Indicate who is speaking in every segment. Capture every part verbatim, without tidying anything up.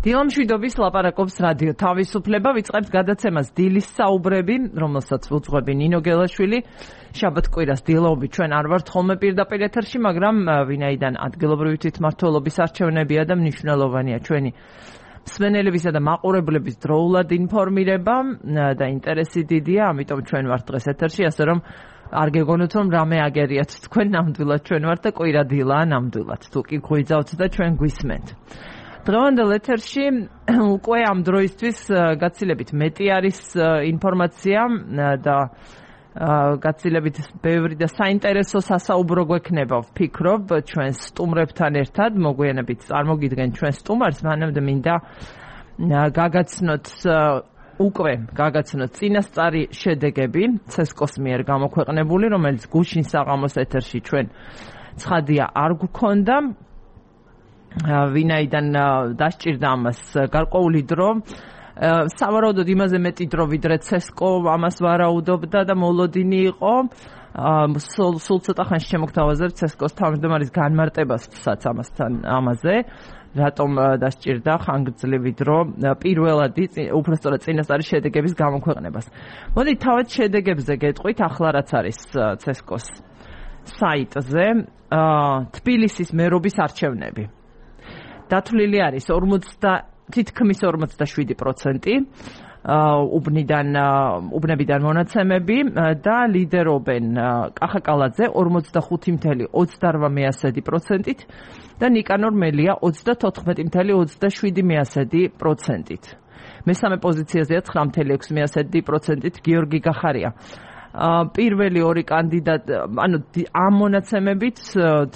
Speaker 1: დილამშვიდობის ლაპარაკობს რადიო თავისუფლება, ვიწყებთ გადაცემას დილის საუბრები, რომელსაც უძღვები ნინო გელაშვილი. შაბათ კვირას დილაობით ჩვენ არ ვართ ხოლმე პირდაპირ ეთერში, მაგრამ ვინაიდან ადგილობრივი თვითმმართველობის არჩევნებია და მნიშვნელოვანია ჩვენი მსმენელებისა და მაყურებლების დროულად ინფორმირება და ინტერესი დიდია, ამიტომ ჩვენ ვართ დღეს ეთერში, ასე რომ არ გეგონოთ რომ რამე აგერიათ თქვენ, ნამდვილად ჩვენ ვართ და კვირა დილაა ნამდვილად. თუ კი გვიძავთ და ჩვენ გვისმენთ. დღევანდელ ეთერში უკვე ამ დროისთვის გაცილებით მეტი არის ინფორმაცია და გაცილებით ბევრი და საინტერესო სასაუბრო გვექნება, ვფიქრობ, ჩვენ სტუმრებთან ერთად, მოგვიანებით წარმოგიდგენ ჩვენ სტუმარს, მანამდე მინდა გაგაცნოთ უკვე გაგაცნოთ წინასწარი შედეგები ცესკოს მიერ გამოქვეყნებული, რომელიც გუშინ საღამოს ეთერში ჩვენ ცხადია არ გვქონდა. ვინაიდან დასჭირდა ამას გარკვეული დრო, სავარაუდოდ იმაზე მეტი დრო ვიდრე ცესკო ამას ვარაუდობდა და მოლოდინი იყო. სულ ცოტა ხანში შემოგთავაზებთ ცესკოს თავმჯდომარის განმარტებასაც ამასთან ამაზე, რატომ დასჭირდა ხანგრძლივი დრო პირველად უბრალოდ წინასწარი შედეგების გამოქვეყნებას. მოდით თავად შედეგებზე გეტყვით, ახლა რაც არის ცესკოს საიტზე, თბილისის მერობის არჩევნები. დათვლილი არის თითქმის ორმოცდაშვიდი პროცენტი უბნიდან უბნებიდან მონაცემები და ლიდერობენ კახაკალაძე ორმოცდახუთი წუთი ოცდაოთხ პროცენტით და ნიკანორ მელია ოცდათოთხმეტი წუთი ოცდაშვიდი პროცენტით. მესამე პოზიციაზეა ცხრა წუთი ექვსი პროცენტით გიორგი გახარია. პირველი ორი კანდიდატი, ანუ ამ მონაცემებით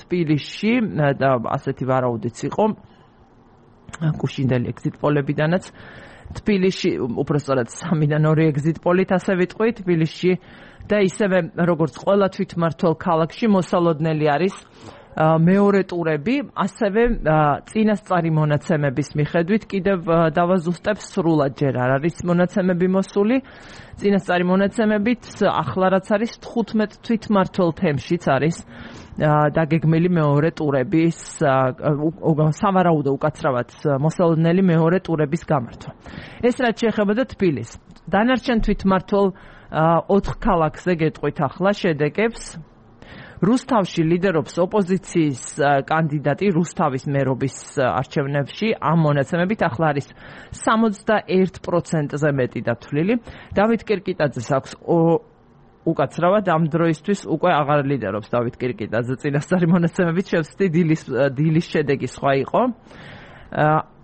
Speaker 1: თბილისში და ასეთი ვარაუდიც იყო გუშინდელი ეგზიტ პოლებიდანაც თბილისში, უბრალოდ სამიდან ორი ეგზიტ პოლით ასე ვიტყვით, თბილისში და ისევე როგორც ყველა თვითმმართველ ქალაქში მოსალოდნელი არის მეორე ტურები, ასევე წინასწარი მონაცემების მიხედვით კიდევ დავაზუსტებ სრულად ჯერ არ არის მონაცემები მოსული. წინასწარი მონაცემებით ახლა რაც არის თხუთმეტ თვითმმართველ თემშიც არის დაგეგმილი მეორე ტურების სავარაუდო უკაცრავად მოსალოდნელი მეორე ტურების გამართვა. ეს რაც შეეხებოდა თბილისს. დანარჩენ თვითმმართველ ოთხ ქალაქზე გეტყვით ახლა შედეგებს. რუსთავში ლიდერობს ოპოზიციის კანდიდატი რუსთავის მერობის არჩევნებში, ამ მონაცემებით ახლა არის სამოცდაერთ პროცენტზე მეტი დათვლილი. დავით კირკიტაძეს აქვს უკაცრავად ამ დროისთვის უკვე აღარ ლიდერობს დავით კირკიტაძე, წინასწარი მონაცემებით შევსდი დილის დილის შედეგი სხვა იყო.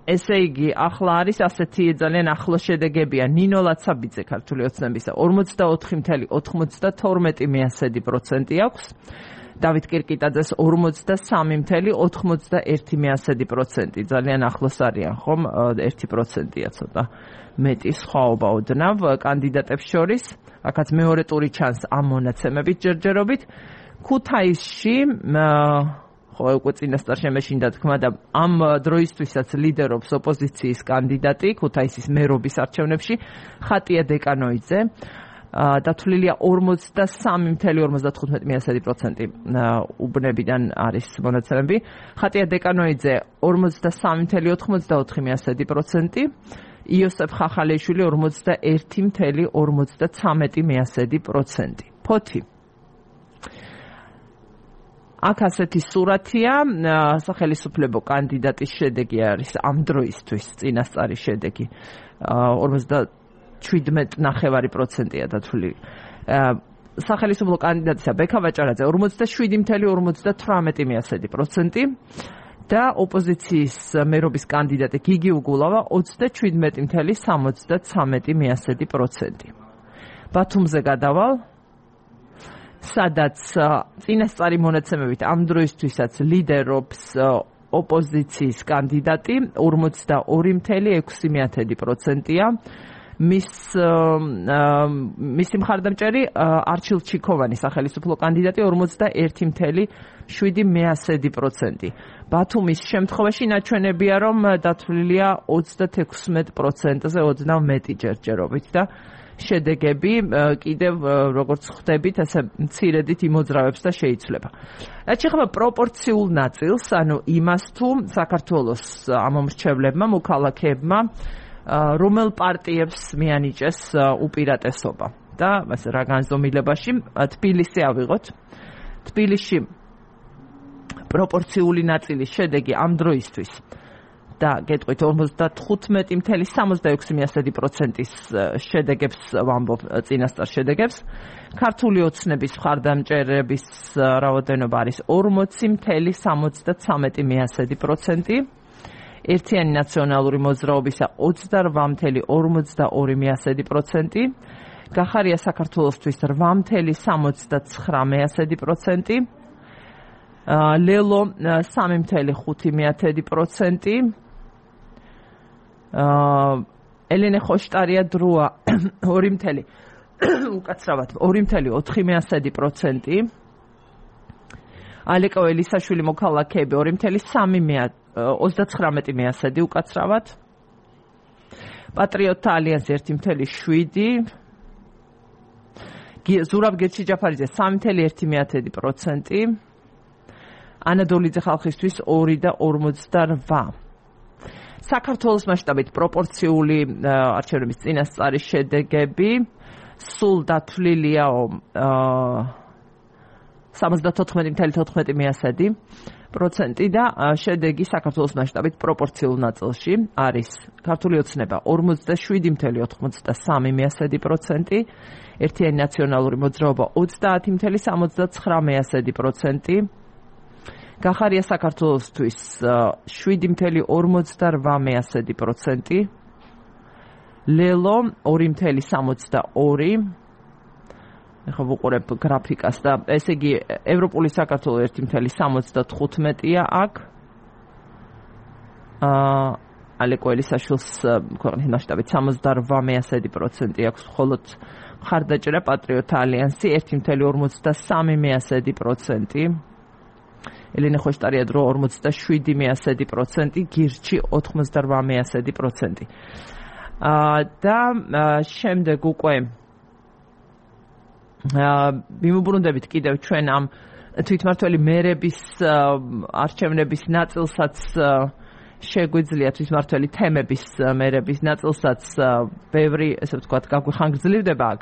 Speaker 1: ესე იგი, ახლა არის ასეთი ძალიან ახლო შედეგებია. ნინო ლაცაბიძე ქართული ოცნებისა ორმოცდაოთხი წუთი ოცდათორმეტი პროცენტი აქვს. დავით კირკიტაძეს ორმოცდასამი წუთი ოცდაერთი პროცენტი. ძალიან ახლოს არიან, ხომ? ერთი პროცენტია ცოტა მეტი სხვაობა ოდნავ კანდიდატებს შორის. აქაც მეორე ტური ჩანს ამ მონაცემებით ჯერჯერობით. ქუთაისში ხო უკვე წინასწარ შემეშინდა თქმა და ამ დროისთვისაც ლიდერობს ოპოზიციის კანდიდატი ქუთაისის მერობის არჩევნებში ხატია დეკანოიძე. დათვლილია ორმოცდასამი წუთი ორმოცდათხუთმეტი პროცენტი უბნებიდან არის მონაცემები. ხატია დეკანოიძე ორმოცდასამი წუთი ოცდაოთხი პროცენტი. იოსებ ხახალეიშვილი ორმოცდაერთი წუთი ორმოცდაცამეტი პროცენტი. ფოთი აქ ასეთი სურათია, სახელმწიფო კანდიდატის შედეგი არის ამ დროისთვის წინასწარი შედეგი ორმოცდაშვიდმეტი ნახევარი პროცენტია დათვლილი. სახელმწიფო კანდიდატისა ბექა ვაჭარაძე ორმოცდაშვიდი წუთი ორმოცდათვრამეტი პროცენტი და ოპოზიციის მერობის კანდიდატი გიგი უგულავა ოცდაშვიდმეტი წუთი სამოცდაცამეტი პროცენტი. ბათუმზე გადავალ, სადაც წინასწარი მონაცემებით ამ დროისთვისაც ლიდერობს ოპოზიციის კანდიდატი ორმოცდაორი წუთი ექვსი პროცენტია. მის მისი მხარდამჭერი არჩილ ჩიქოვანი სახელმწიფო კანდიდატი ორმოცდაერთი წუთი შვიდი პროცენტი. ბათუმის შემთხვევაში ნაჩვენებია რომ დათვლილია ოცდათექვსმეტ პროცენტზე ოცდაათი მეტი ჯერჯერობით და შედეგები კიდევ როგორც ხვდებით ესე მცირედით იმოძრავებს და შეიცვლება. რაც შეეხება პროპორციულ ნაწილს, ანუ იმას თუ საქართველოს ამომრჩევლებმა, მოქალაქეებმა რომელ პარტიებს მიანიჭეს უპირატესობა და რა განზომილებაში თბილისი ავიღოთ. თბილისში პროპორციული ნაწილის შედეგი ამ დროისთვის და გეტყვით ორმოცდათხუთმეტი წუთი სამოცდაექვსი პროცენტის შედეგებს ვამბობ წინასწარ შედეგებს. ქართული ოცნების მხარდამჭერების რაოდენობა არის ორმოცი წუთი სამოცდათრამეტი პროცენტი. ერთიანი ნაციონალური მოძრაობისა ოცდარვა წუთი ორმოცდაორი პროცენტი. გახარია საქართველოსთვის რვა წუთი სამოცდაცხრამეტი პროცენტი. ლელო სამი წუთი ხუთი პროცენტი. ელენე ხოშტარია დროა ორი წუთი უკაცრავად ორი წუთი ოთხი პროცენტი. ალეკო ელისაშვილი მოქალაქეები ორი წუთი სამი ოცდაცხრამეტი უკაცრავად. პატრიოტთა ალიანსი ერთი წუთი შვიდი. ზურაბ გერჩიჯაფარიძე სამი წუთი ერთი პროცენტი. ანადოლიძე ხალხისთვის ორი და ორმოცდარვა. საქართველოს მასშტაბით პროპორციული არჩევნების წინასწარი შედეგები სულ დათვლილია სამოცდათოთხმეტი წუთი თოთხმეტი პროცენტი და შედეგი საქართველოს მასშტაბით პროპორციულ ნაწილში არის ქართული ოცნება ორმოცდაშვიდი წუთი ოთხმოცდასამი პროცენტი, ერთიანი ნაციონალური მოძრაობა ოცდაათი წუთი სამოცდაცხრამეტი პროცენტი. გახარია საქართველოსთვის შვიდი წუთი ორმოცდარვა პროცენტი. ლელო ორი წუთი სამოცდაორი. ეხლა ვუყურებ გრაფიკას და ესე იგი ევროპული საქართველო ერთი წუთი სამოცდათხუთმეტია აქ. აა ალეკო ელისაშვილს ქვეყნის მასშტაბით სამოცდარვა პროცენტი აქვს, მხოლოდ მხარდაჭერა პატრიოტთა ალიანსი ერთი წუთი ორმოცდასამი პროცენტი. ელენე ხოშტარია დრო ორმოცდაშვიდი პროცენტი, გირჩი ოთხმოცდარვა პროცენტი. და შემდეგ უკვე მიმოbrunდებით კიდევ ჩვენ ამ თვითმართველი მერების არჩევნების ნაწილსაც შეგვიძლია თვითმართველი თემების მერების ნაწილსაც ბევრი ესე ვთქვათ გაგვიხანგრძლივდება აქ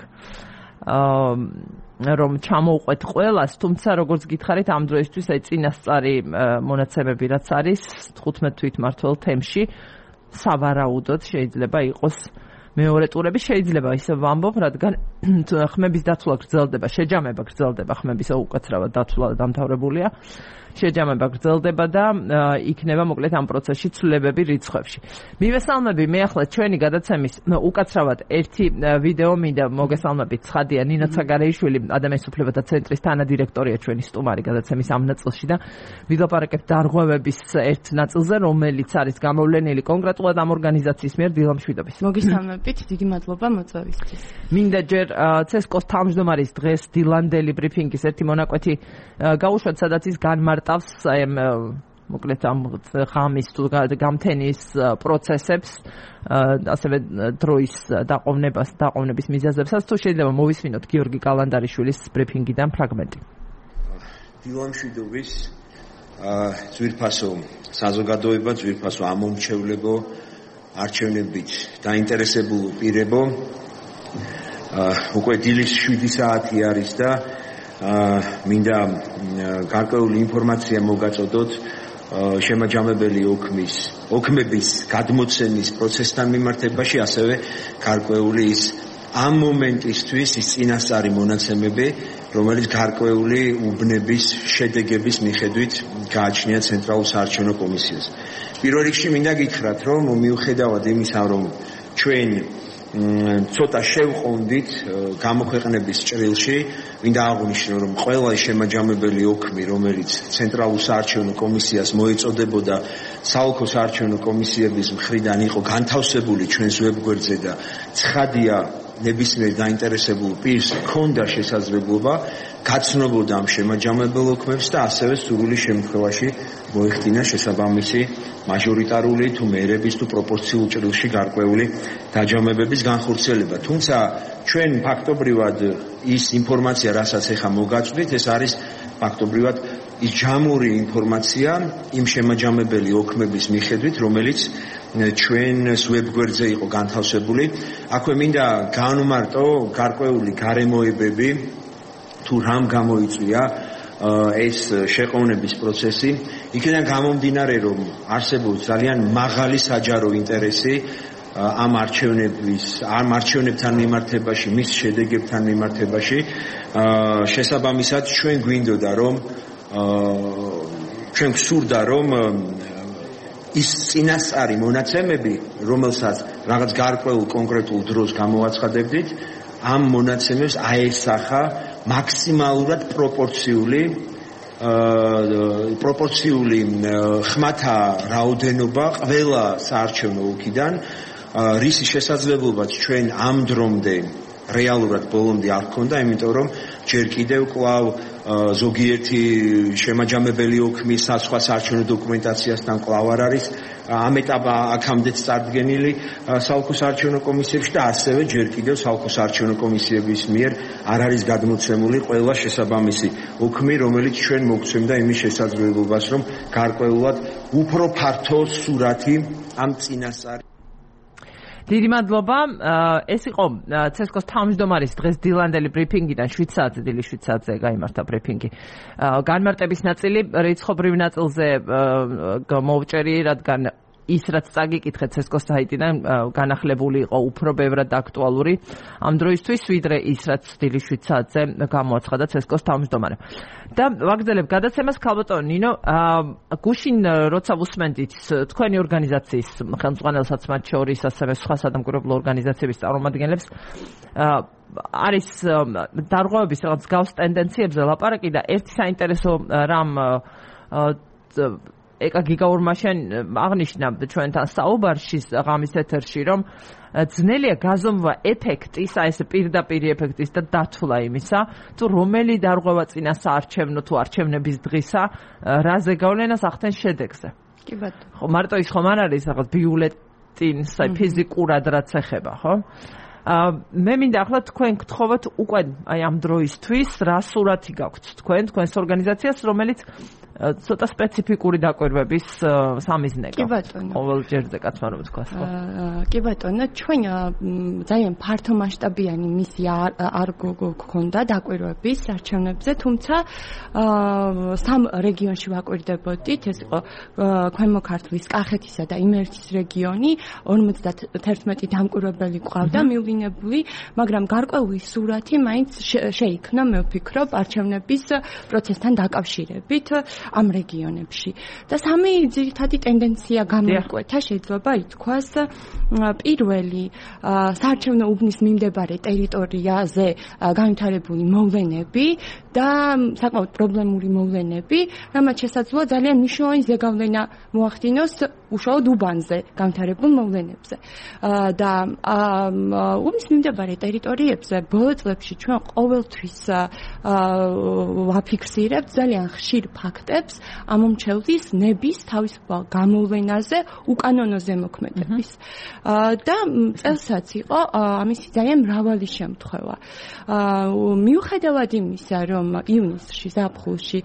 Speaker 1: რომ ჩამოუყვეთ ყველას, თუმცა როგორც გითხარით ამ დროისთვის აი წინასწარი მონაცემები რაც არის თხუთმეტ თვითმართველ თემში სავარაუდოდ შეიძლება იყოს მეორე ტურები, შეიძლება ისე ვამბობ, რადგან ხმების დათვლა გრძელდება, შეჯამება გრძელდება, ხმების უკაცრავად დათვლა დამთავრებულია, შეჯამება გრძელდება და იქნება მოკლედ ამ პროცესში ცვლილებები რიცხვებში. მივესალმები მე ახლა ჩვენი გადაცემის უკაცრავად ერთი ვიდეო მინდა მოგესალმებით. ცხადია ნინო ცაგარეიშვილი, ადამიანის უფლებათა ცენტრის თანადირექტორია ჩვენი სტუმარი გადაცემის ამ ნაწილში და ვილაპარაკებთ დარღვევების ერთ ნაწილზე, რომელიც არის გამოვლენილი კონკრეტულად ამ ორგანიზაციის მიერ დილამშვიდობის.
Speaker 2: მოგესალმებით, დიდი მადლობა მოწვევისთვის.
Speaker 1: მინდა ჯერ ცესკოს თავმჯდომარის დღეს დილანდელი ბრიფინგის ერთი მონაკვეთი გაუშვათ, სადაც ის განმარტავს მოკლედ ამ ღამის თუ გამთენის პროცესებს, ასევე დროის დაყოვნებას, დაყოვნების მიზეზებსაც. თუ შეიძლება მოვისმინოთ გიორგი კალანდარიშვილის ბრიფინგიდან ფრაგმენტი.
Speaker 3: დილამშვიდობის ძვირფასო საზოგადოება, ძვირფასო ამომრჩევლებო, არჩევნებით დაინტერესებულ პირებო, უკვე დილის შვიდი საათი არის და მინდა გარკვეული ინფორმაცია მოგაწოდოთ შემაჯამებელი ოქმის, ოქმების გადმოცემის პროცესთან მიმართებაში, ასევე გარკვეული ის ამ მომენტისთვის ის წინასწარი მონაცემები, რომელიც გარკვეული უბნების შედეგების მიხედვით გააჩნია ცენტრალურ საარჩევნო კომისიას. პირველ რიგში მინდა გითხრათ, რომ მიუხედავად იმისა, რომ ჩვენ ცოტა შევყონდით გამოქვეყნების ჭრილში, მინდა აღვნიშნო, რომ ყველა შემაჯამებელი ოქმი, რომელიც ცენტრალურ საარჩევნო კომისიას მოეწოდებოდა, საოლქო საარჩევნო კომისიების მხრიდან იყო განთავსებული ჩვენს ვებგვერდზე და ცხადია ნებისმიერ დაინტერესებულ პირს ჰქონდა შესაძლებლობა გაცნობოდა ამ შემაჯამებელ ოქმებს და ასევე სრული შემთხვევაში მოეხდინა შესაბამისი მაჟორიტარული თუ მერების თუ პროპორციულ ჭრილში გარკვეული დაჯამებების განხორციელება. თუმცა ჩვენ ფაქტობრივად ის ინფორმაცია, რასაც ეხა მოგაწვდით, ეს არის ფაქტობრივად ის ჯამური ინფორმაცია იმ შემაჯამებელი ოქმების მიხედვით, რომელიც ჩვენს ვებგვერდზე იყო განთავსებული. აქვე მინდა განვმარტო გარკვეული გარემოებები, თუ რამ გამოიწვია ეს შეყოვნების პროცესი. იქიდან გამომდინარე, რომ არსებობს ძალიან მაღალი საჯარო ინტერესი ამ არჩევნების, ამ არჩევნებთან მიმართებაში, მის შედეგებთან მიმართებაში. შესაბამისად, ჩვენ გვინდოდა, რომ ჩვენ გვსურდა, რომ ის წინასწარი მონაცემები, რომელსაც რაღაც გარკვეულ კონკრეტულ დროს გამოვაცხადებდით, ამ მონაცემებს აესახა მაქსიმალურად პროპორციული პროპორციული ხმათა რაოდენობა ყველა საარჩევნო ოლქიდან, რისი შესაძლებლობაც ჩვენ ამ დრომდე რეალურად ბოლომდე არ ქონდა, იმიტომ რომ ჯერ კიდევ კვლავ ზოგიერთი შემაჯამებელი ოქმის სხვა საარჩევნო დოკუმენტაციასთან კვლავ არ არის ამ ეტაპა აქამდეც წარდგენილი საოლქო საარჩევნო კომისიებში და ასევე ჯერ კიდევ საოლქო საარჩევნო კომისიების მიერ არ არის გადმოცემული ყველა შესაბამისი ოქმი, რომელიც ჩვენ მოგცემდა იმის შესაძლებლობას, რომ გარკვეულად უფრო ფართო სურათი ამ წინასწარი.
Speaker 1: დიდი მადლობა. ეს იყო ცესკოს თავმჯდომარის დღეს დილანდელი ბრიფინგიდან შვიდ საათზე, დილის შვიდ საათზე გაიმართა ბრიფინგი. განმარტების ნაწილი რიცხობრივ ნაწილზე მოვჭერი, რადგან ის რაც წაგიკითხეთ ცესკოს საიტიდან განახლებული იყო უფრო ბევრად და აქტუალური ამ დროისთვის, ვიდრე ის რაც დილის შვიდ საათზე გამოაცხადა ცესკოს თავმჯდომარემ. და ვაგრძელებ გადაცემას, ქალბატონო ნინო, გუშინ როცა ვუსმენდით თქვენი ორგანიზაციის ხელმძღვანელსაც, მათ შორის ასევე სხვა სადამკვირვებლო ორგანიზაციების წარმომადგენლებს, არის დარღვევების რაღაც გავს ტენდენციებზე ლაპარაკი და ერთი საინტერესო რამ ეკა გიგაურმაშენ აღნიშნა ჩვენთან საუბარში ღამის ეთერში, რომ ძნელია გაზომვა ეფექტის, აი ეს პირდაპირ ეფექტის და დათვლა იმისა, თუ რომელი დარღვევა წინა საარჩევნო თუ არჩევნების დღისა რაზე გავლენას ახდენს შედეგზე.
Speaker 2: კი ბატონო.
Speaker 1: ხო, მარტო ის ხომ არ არის რაღაც ბიულეტინს, აი ფიზიკურად რაც ეხება, ხო? მე მინდა ახლა თქვენ გთხოვოთ უკვე აი ამ დროისთვის რა სურათი გაქვთ თქვენ, თქვენს ორგანიზაციას, რომელიც ცოტა სპეციფიკური დაკვირვების სამიზნეა.
Speaker 2: კი ბატონო.
Speaker 1: ყოველ ჯერზე კაცმა რომ თქვას, ხო?
Speaker 2: კი ბატონო, ჩვენ ძალიან ფართო მასშტაბიანი მისია არ გქონდა დაკვირვების არჩევნებზე, თუმცა სამ რეგიონში ვაკვირდებოდით, ეს იყო ქვემო ქართლის, კახეთისა და იმერეთის რეგიონი, ორმოცდაათი დამკვირვებელი ყავდა მივლინებული, მაგრამ გარკვეული სურათი მაინც შეიქმნა, მე ვფიქრობ, არჩევნების პროცესთან დაკავშირებით ამ რეგიონებში. და სამი ძირითადი ტენდენცია გამოიკვეთა, შეიძლება ითქვას. პირველი, საარჩევნო უბნის მიმდებარე ტერიტორიაზე განვითარებული მოვლენები და საკმაოდ პრობლემური მოვლენები, რამაც შესაძლოა ძალიან მნიშვნელოვანი ზეგავლენა მოახდინოს უშუალოდ უბანზე განვითარებულ მოვლენებზე. და უბნის მიმდებარე ტერიტორიებზე ბოლო წლებში ჩვენ ყოველთვის ვაფიქსირებთ ძალიან ხშირ ფაქტებს ამომრჩევლის ნების თავისუფალ გამოვლენაზე, უკანონო ზემოქმედების. და წელსაც იყო ამისი ძალიან მრავალი შემთხვევა. მიუხედავად იმისა, რომ ივნისში, ზაფხულში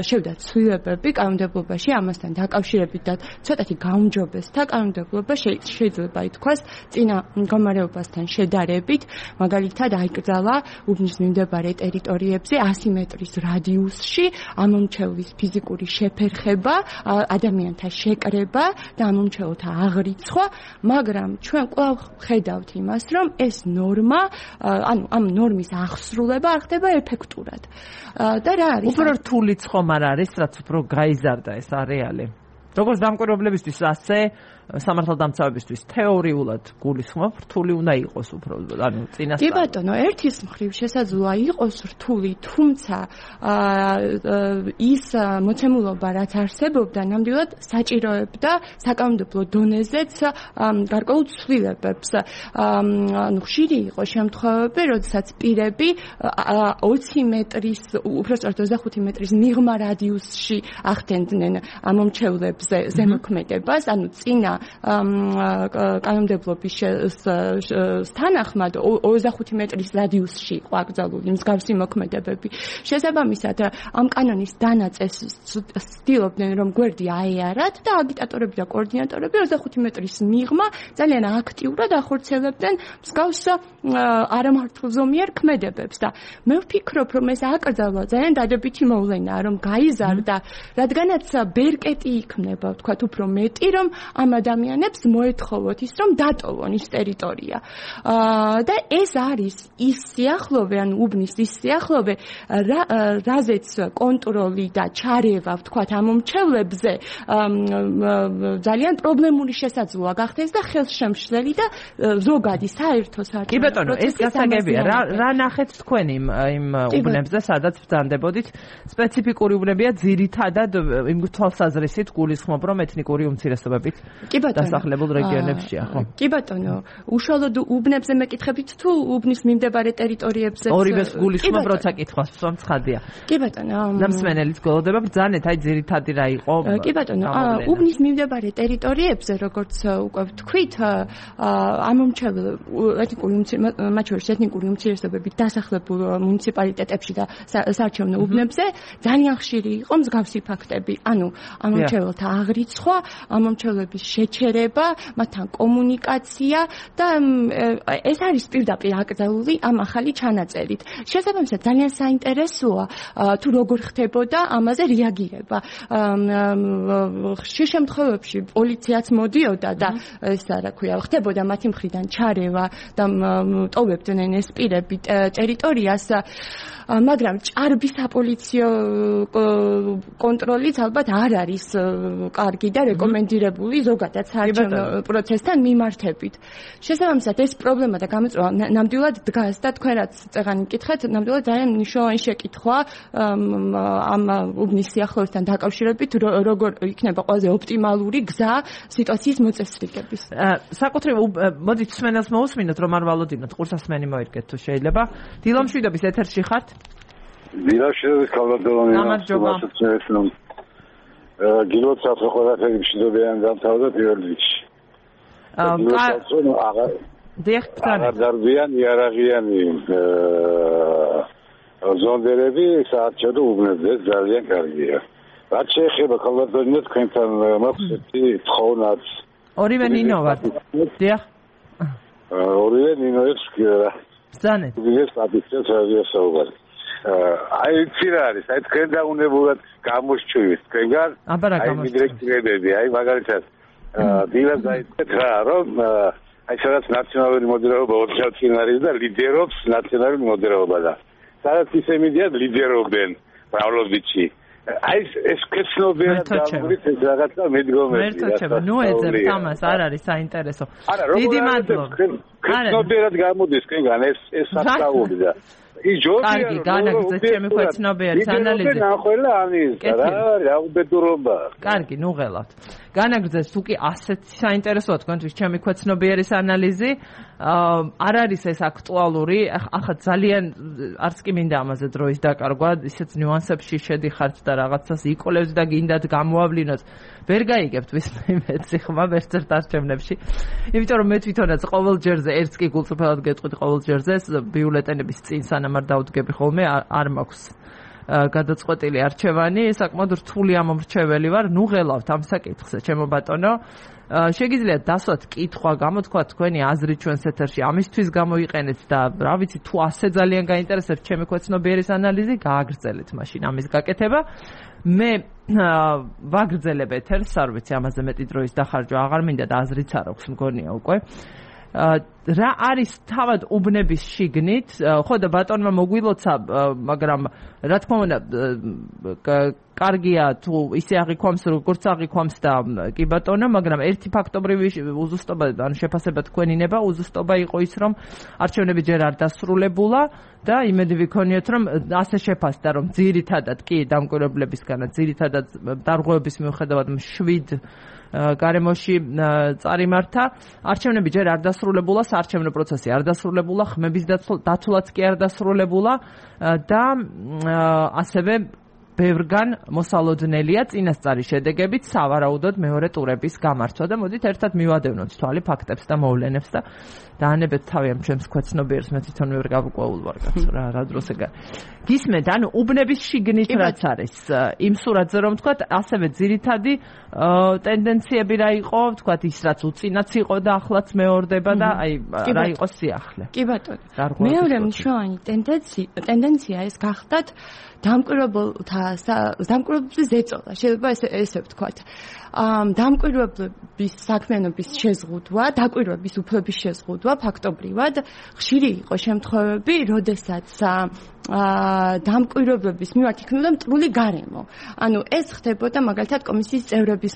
Speaker 2: შევიდა ცვლილებები კანონმდებლობაში, ამასთან დაკავშირებით და ცოტათი გაუმჯობესდა კანონმდებლობა, შეიძლება ითქვას, წინა მდგომარეობასთან შედარებით, მაგალითად აიკრძალა უბნის მიმდებარე ტერიტორიებზე ასი მეტრის რადიუსში ამომრჩევლის ფიზიკური შეფერხება, ადამიანთა შეკრება და ამომრჩეველთა აღრიცხვა, მაგრამ ჩვენ კვლავ ხედავთ იმას, რომ ეს ნორმა, ანუ ამ ნორმის აღსრულება არ ხდება ეფექტურად. და რა არის?
Speaker 1: უფრო რთულიც ხომ არ არის, რაც უფრო გაიზარდა ეს არეალი. როგორც დამკვირვებლებისთვის, ასე სამართალდამცავებისთვის თეორიულად გულისხმობ, რთული უნდა იყოს უფრო, ანუ წინასწარ.
Speaker 2: კი ბატონო, ერთის მხრივ შესაძლოა იყოს რთული, თუმცა ის მოცემულობა, რაც არსებობდა, ნამდვილად საჭიროებდა საკანონმდებლო დონეზეც გარკვეულ ცვლილებებს. ანუ ხშირი იყო შემთხვევები, როდესაც პირები ოცი მეტრის, უпростоრად ოცდახუთი მეტრის მიღმა რადიუსში ახდენდნენ ამომრჩევლებზე ზემოქმედებას, ანუ წინა კანონმდებლობის თანახმად ოცდახუთი მეტრის რადიუსში იყო აკრძალული მსგავსი მოქმედებები. შესაბამისად, ამ კანონის დანაწესს ცდილობდნენ, რომ გვერდი აეარათ და აგიტატორები და კოორდინატორები ოცდახუთი მეტრის მიღმა ძალიან აქტიურად ახორციელებდნენ მსგავს არამართლზომიერ ქმედებებს და მე ვფიქრობ, რომ ეს აკრძალვა ძალიან დადებითი მოვლენაა, რომ გაიზარდა, რადგანაც ბერკეტი იქნება, ვთქვათ, უფრო მეტი, რომ ამ ადამიანებს მოეთხოვოთ ის, რომ დატოვონ ის ტერიტორია. და ეს არის ის სიახლოვე, ან უბნის ის სიახლოვე, რაზეც კონტროლი და ჩარევა, ვთქვათ, ამომრჩევლებზე ძალიან პრობლემური შესაძლოა გახდეს და ხელშემშლელი და ზოგადი საერთო საერთო.
Speaker 1: კი ბატონო, ეს გასაგებია. რა რა ნახეთ თქვენ იმ იმ უბნებზე, სადაც ბრძანდებოდით? სპეციფიკური უბნებია, ძირითადად იმ თვალსაზრისით გულისხმობ, რომ ეთნიკური უმცირესობებით დასახლებულ რეგიონებშია, ხო?
Speaker 2: კი ბატონო, უშუალოდ უბნებზე მეკითხებით თუ უბნის მიმდებარე ტერიტორიებზე?
Speaker 1: ორივეს გულისხმობ, როცა კითხვას ვსვამ, ცხადია.
Speaker 2: კი ბატონო.
Speaker 1: და მსმენელიც გველოდება, ბრძანეთ, აი ძირითადი რა იყო?
Speaker 2: კი ბატონო, უბნის მიმდებარე ტერიტორიებზე, როგორც უკვე ვთქვით, ამომრჩეველ ეთნიკური მათ შორის ეთნიკური უმცირესობებით დასახლებულ მუნიციპალიტეტებში და საარჩევნო უბნებზე ძალიან ხშირი იყო მსგავსი ფაქტები. ანუ ამომრჩეველთა აღრიცხვა, ამომრჩევლების შეჩერება, მათთან კომუნიკაცია და ეს არის პირდაპირ აკრძალული ამ ახალი ჩანაწერით. შესაბამისად, ძალიან საინტერესოა თუ როგორ ხდებოდა ამაზე რეაგირება. ხშირ შემთხვევებში პოლიციაც მოდიოდა და ეს რა ქვია, ხდებოდა მათი მხრიდან ჩარევა და ტოვებდნენ ეს პირები ტერიტორიას, მაგრამ ჭარბი საპოლიციო კონტროლიც ალბათ არ არის კარგი და რეკომენდირებული ზოგადად საარჩევნო პროცესთან მიმართებით. შესაბამისად, ეს პრობლემა და გამოწვევა ნამდვილად დგას და თქვენ რაც წეღანი მკითხეთ, ნამდვილად ძალიან მნიშვნელოვანი შეკითხვაა ამ უბნის სიახლოვესთან დაკავშირებით, როგორ იქნება ყველაზე ოპტიმალური გზა სიტუაციის მოწესრიგების.
Speaker 1: საკუთრივ მოდით მსმენელს მოусმინოთ, რომ არ ვალოდინოთ, ყურსასმენი მოერგეთ თუ შეიძლება. დილამშვიდობის ეთერში ხართ?
Speaker 4: დილამშვიდობის კალვადოვანი.
Speaker 1: გამარჯობა.
Speaker 4: გილოცავთ რომ ყველაფერი მშვიდობიანი დამთავრდა პირველ რიგში.
Speaker 1: აა დიახ,
Speaker 4: აღარ დარბიან იარაღიანი ზონდერები საარჩევნო უბნებზე ძალიან კარგია. რაც შეეხება კალვადოვანი თქვენთან მოხსნეთი თხოვნაც.
Speaker 1: ორივე ნინო ვარ. დიახ.
Speaker 4: ორივე ნინოებს კირა.
Speaker 1: ბრძანეთ.
Speaker 4: ეს აბიცეს რადიოსაუბარი. აი იცი რა არის, აი თქვენ დაუნებურად გამოსჩვივით, თქვენგან აი მიდრეკტირებები, აი მაგალითად დილა დაიწყეთ რა, რომ აი სადაც ნაციონალური მოდერაობა ორჩავთინ არის და ლიდერობს ნაციონალური მოდერაობა და სადაც ისე მიდიან ლიდერობენ ბრავლობიჩი. აი ეს კეცნობიერად გამურით ეს რაღაცა მედგომები.
Speaker 1: მერტოჩება, ნუ ეძებთ ამას, არ არის საინტერესო. დიდი მადლობა.
Speaker 4: კეცნობიერად გამოდის თქვენგან ეს ეს საფრთხეები და
Speaker 1: კარგი, განაგრძეთ ჩემი ქვეცნობიერის ანალიზი.
Speaker 4: ნახველა ამის რა, რა უბედურობა.
Speaker 1: კარგი, ნუ ღელავთ. განაგრძეთ თუ კი ასეთ საინტერესოა თქვენთვის ჩემი ქვეცნობიერის ანალიზი. არ არის ეს აქტუალური, ახლა ძალიან არც კი მინდა ამაზე დროის დაკარგვა, ისეთ ნიუანსებში შედიხართ და რაღაცას იკოლევთ და გინდათ გამოავლინოთ. ვერ გაიგებთ ვისმე ხმა ერთ-ერთ არჩევნებში. იმიტომ რომ მე თვითონაც ყოველ ჯერზე ერთს კი გულწრფელად გეტყვით ყოველ ჯერზე ბიულეტენების წინ სანამ არ დავდგები ხოლმე არ მაქვს გადაწყვეტილი არჩევანი, საკმაოდ რთული ამომრჩეველი ვარ, ნუ ღელავთ ამ საკითხზე, ჩემო ბატონო. შეგიძლიათ დასვათ კითხვა, გამოთქვათ თქვენი აზრი ჩვენს ეთერში, ამისთვის გამოიყენეთ და რა ვიცი, თუ ასე ძალიან გაინტერესებთ ჩემი ქვეცნობიერის ანალიზი, გააგრძელეთ მაშინ ამის გაკეთება. მე ვაგრძელებ ეთერს, არ ვიცი, ამაზე მეტი დროის დახარჯვა აღარ მინდა და აზრიც არ აქვს, მგონია უკვე. რა არის თავად უბნების შიგნით, ხო და ბატონმა მოგვილოცა, მაგრამ რა თქმა უნდა კარგია თუ ისე აღიქვამს, როგორც აღიქვამს და კი ბატონო, მაგრამ ერთი ფაქტობრივი უზუსტობა, ანუ შეფასება თქვენინება, უზუსტობა იყო ის, რომ არჩევნები ჯერ არ დასრულებულა და იმედი ვიქონიოთ, რომ ასე შეფასდა, რომ ძირითადად კი დამკვირვებლებისგანაც, ძირითადად დარღვევების მიუხედავად შვიდ გარემოში წარიმართა, არჩევნები ჯერ არ დასრულებულა, საარჩევნო პროცესი არ დასრულებულა, ხმების დათვლაც კი არ დასრულებულა და ასევე ბევრგან მოსალოდნელია წინასწარი შედეგებით სავარაუდოდ მეორე ტურების გამართვა და მოდით ერთად მივადევნოთ თვალი ფაქტებს და მოვლენებს და დაანებეთ თავი ამ ჩემს ქვეცნობიერს, მე თვითონ ვერ გავკვეულ ვარ კაცო რა რა დროს ეგარ. გისმენთ, ანუ უბნების შიგნით რაც არის იმ სურათზე რომ ვთქვათ, ასევე ძირითადი ტენდენციები რა იყო, ვთქვათ ის რაც უწინაც იყო და ახლაც მეორდება და აი რა იყო სიახლე.
Speaker 2: კი ბატონო. მეორე მნიშვნელოვანი ტენდენცია ეს გახდათ დამკვირვებელთა დამკვირვებლების ზეწოლა, შეიძლება ესე ესე ვთქვათ. დამკვირვებლების საქმიანობის შეზღუდვა, დაკვირვების უფლების შეზღუდვა ფაქტობრივად ხშირი იყო შემთხვევები, როდესაც დამკვირვებლების მიმართ იქნებოდა მტრული გარემო. ანუ ეს ხდებოდა მაგალითად კომისიის წევრების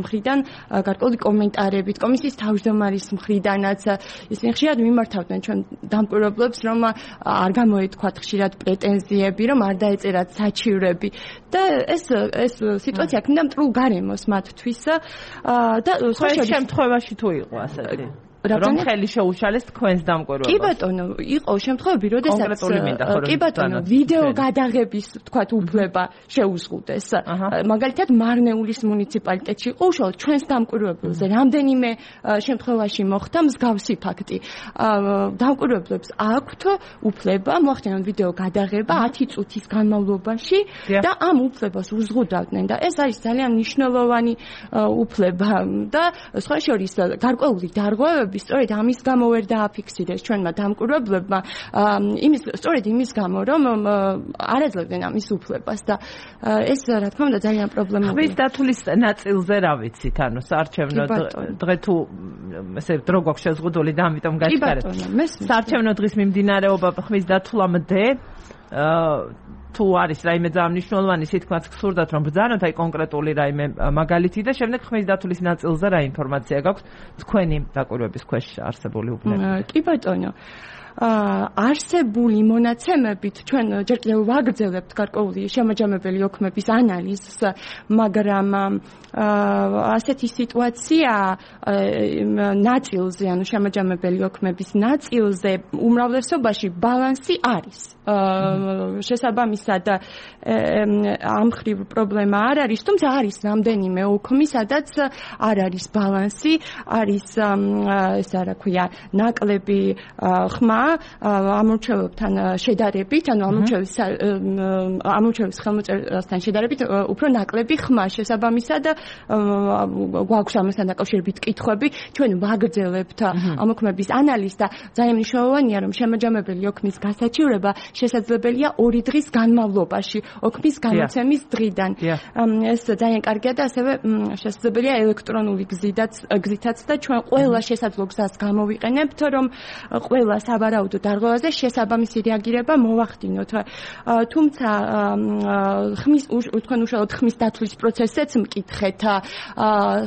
Speaker 2: მხრიდან გარკვეული კომენტარებით, კომისიის თავმჯდომარის მხრიდანაც ისინი ხშირად მიმართავდნენ ჩვენ დამკვირვებლებს, რომ არ გამოეთქვათ ხშირად პრეტენზიები, რომ არ დაეწერათ საჩივრები და ეს ეს სიტუაცია ქმნიდა მტრულ გარემოს მათთვის და
Speaker 1: სხვა შემთხვევაში თუ იყო ასეთი რომ ხელი შეუშალეს თქვენს დამკვირვებლობას.
Speaker 2: კი ბატონო, იყო შემთხვევები, როდესაც კი ბატონო, ვიდეო გადაღების თქვათ უფლება შეუზღუდეს. მაგალითად, მარნეულის მუნიციპალიტეტში იყო უშუალოდ ჩვენს დამკვირვებელზე რამდენიმე შემთხვევაში მოხდა მსგავსი ფაქტი. დამკვირვებლებს აქვთ უფლება მოახდინონ ვიდეო გადაღება ათი წუთის განმავლობაში და ამ უფლებას უზღუდავდნენ და ეს არის ძალიან მნიშვნელოვანი უფლება და სხვა შორის გარკვეული დარღვევები სწორედ ამის გამო ვერ დააფიქსირეს ჩვენმა დამკვირვებლებმა, იმის სწორედ იმის გამო, რომ არ აძლევდნენ ამის უფლებას და ეს რა თქმა უნდა ძალიან პრობლემაა.
Speaker 1: ხმის დათვლის ნაწილზე რა ვიცით, ანუ საარჩევნო დღე თუ ესე დრო გვაქვს შეზღუდული და ამიტომ გაჩქარეთ. საარჩევნო დღის მიმდინარეობა ხმის დათვლამდე თუ არის რაიმე ძალიან მნიშვნელოვანი სიტყვაც გსურდათ რომ ბრძანოთ აი კონკრეტული რაიმე მაგალითი და შემდეგ ხმის დათვლის ნაწილზე რა ინფორმაცია გაქვთ თქვენი დაკვირვების ქვეშ არსებული უბნები.
Speaker 2: კი ბატონო. არსებული მონაცემებით ჩვენ ჯერ კიდევ ვაგრძელებთ გარკვეული შემაჯამებელი ოქმების ანალიზს, მაგრამ ასეთი სიტუაცია ნაწილზე, ანუ შემაჯამებელი ოქმების ნაწილზე უმრავლესობაში ბალანსი არის. შესაბამისად ამ მხრივ პრობლემა არ არის, თუმცა არის რამდენიმე ოქმი, სადაც არ არის ბალანსი, არის ესა რა ქვია, ნაკლები ხმა ამორჩელებთან შედარებით, ანუ ამორჩევის ამორჩევის ხელმოწერასთან შედარებით უფრო ნაკლები ხმა შესაბამისად გვაქვს ამასთან დაკავშირებით კითხვები, ჩვენ ვაგრძელებთ ამ ოქმების ანალიზს და ძალიან მნიშვნელოვანია რომ შემაჯამებელი ოქმის გასაჩივრება შესაძლებელია ორი დღის განმავლობაში, ოქმის გამოცემის დღიდან. ეს ძალიან კარგია და ასევე შესაძლებელია ელექტრონული გზითაც გზითაც და ჩვენ ყველა შესაძლო გზას გამოვიყენებთ, რომ ყველა სავარაუდო დარღვევაზე შესაბამისი რეაგირება მოვახდინოთ. თუმცა ხმის თქვენ უშუალოდ ხმის დათვლის პროცესზეც მკითხეთ.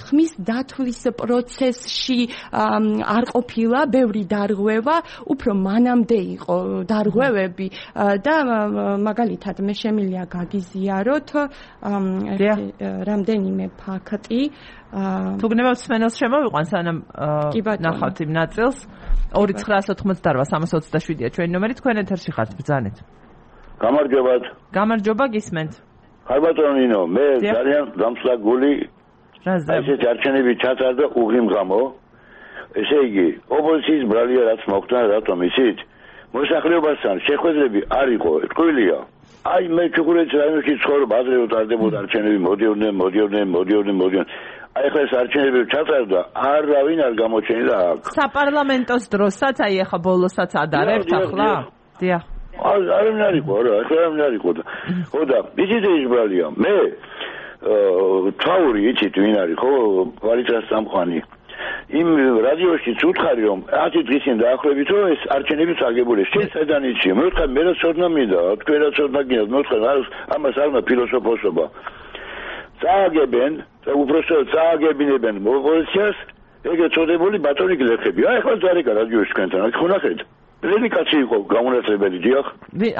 Speaker 2: ხმის დათვლის პროცესში არ ყოფილა ბევრი დარღვევა, უფრო მანამდე იყო დარღვევები და მაგალითად მე შემიძლია გაგიზიაროთ რამდენიმე ფაქტი.
Speaker 1: თუ გნებავთ სმენელს შემოვიყვან სანამ ნახავთ იმ ნაწილს. ორი ცხრაას ოთხმოცდაოთხ სამას ოცდაშვიდია ჩვენი ნომერი, თქვენ ეთერში ხართ, ბრძანეთ.
Speaker 4: გამარჯობათ.
Speaker 1: გამარჯობა, გისმენთ.
Speaker 4: ხარ ბატონო ნინო, მე ძალიან დამსლაგული ესეთ არჩევნები ჩატარდა უღიმ გამო. ესე იგი, ოპოზიციის ბრალია რაც მოხდა, რატომ იცით? მოსახლეობასთან შეხვედრები არ იყო, ტყუილია. აი მე ჩუქურეთის რაიონში ცხოვრობ, ადრე უტარდებოდა არჩევნები, მოდიოდნენ, მოდიოდნენ, მოდიოდნენ, მოდიოდნენ. აი ხა ეს არჩევნები ჩატარდა, არავინ არ გამოჩენილა აქ.
Speaker 1: საპარლამენტოს დროსაც, აი ახლა ბოლოსაც ადარებთ ახლა? დიახ.
Speaker 4: არავინ არ იყო, რა, ახლა არავინ არ იყო და. ხო და იცით ის ბრალია, მე თაური იცით ვინ არის, ხო, ვალიცას სამყანი.
Speaker 5: იმ რადიოშიც უთხარი რომ ათი დღისին დაახლოებით რომ ეს არჩევნებიც აგებული შენ საიდან იცი მე ვთქვა მე რა ცოდნა მინდა თქვენ რა ცოდნა გინდა მე ვთქვა ამას არ უნდა ფილოსოფოსობა წააგებენ და უბრალოდ წააგებინებენ მოპოზიციას ეგრე წოდებული ბატონი გლეხები აი ახლა ზარეკა რადიოში თქვენთან აქ ხუნახეთ რედიკაცი იყო გამონაცვლებელი დიახ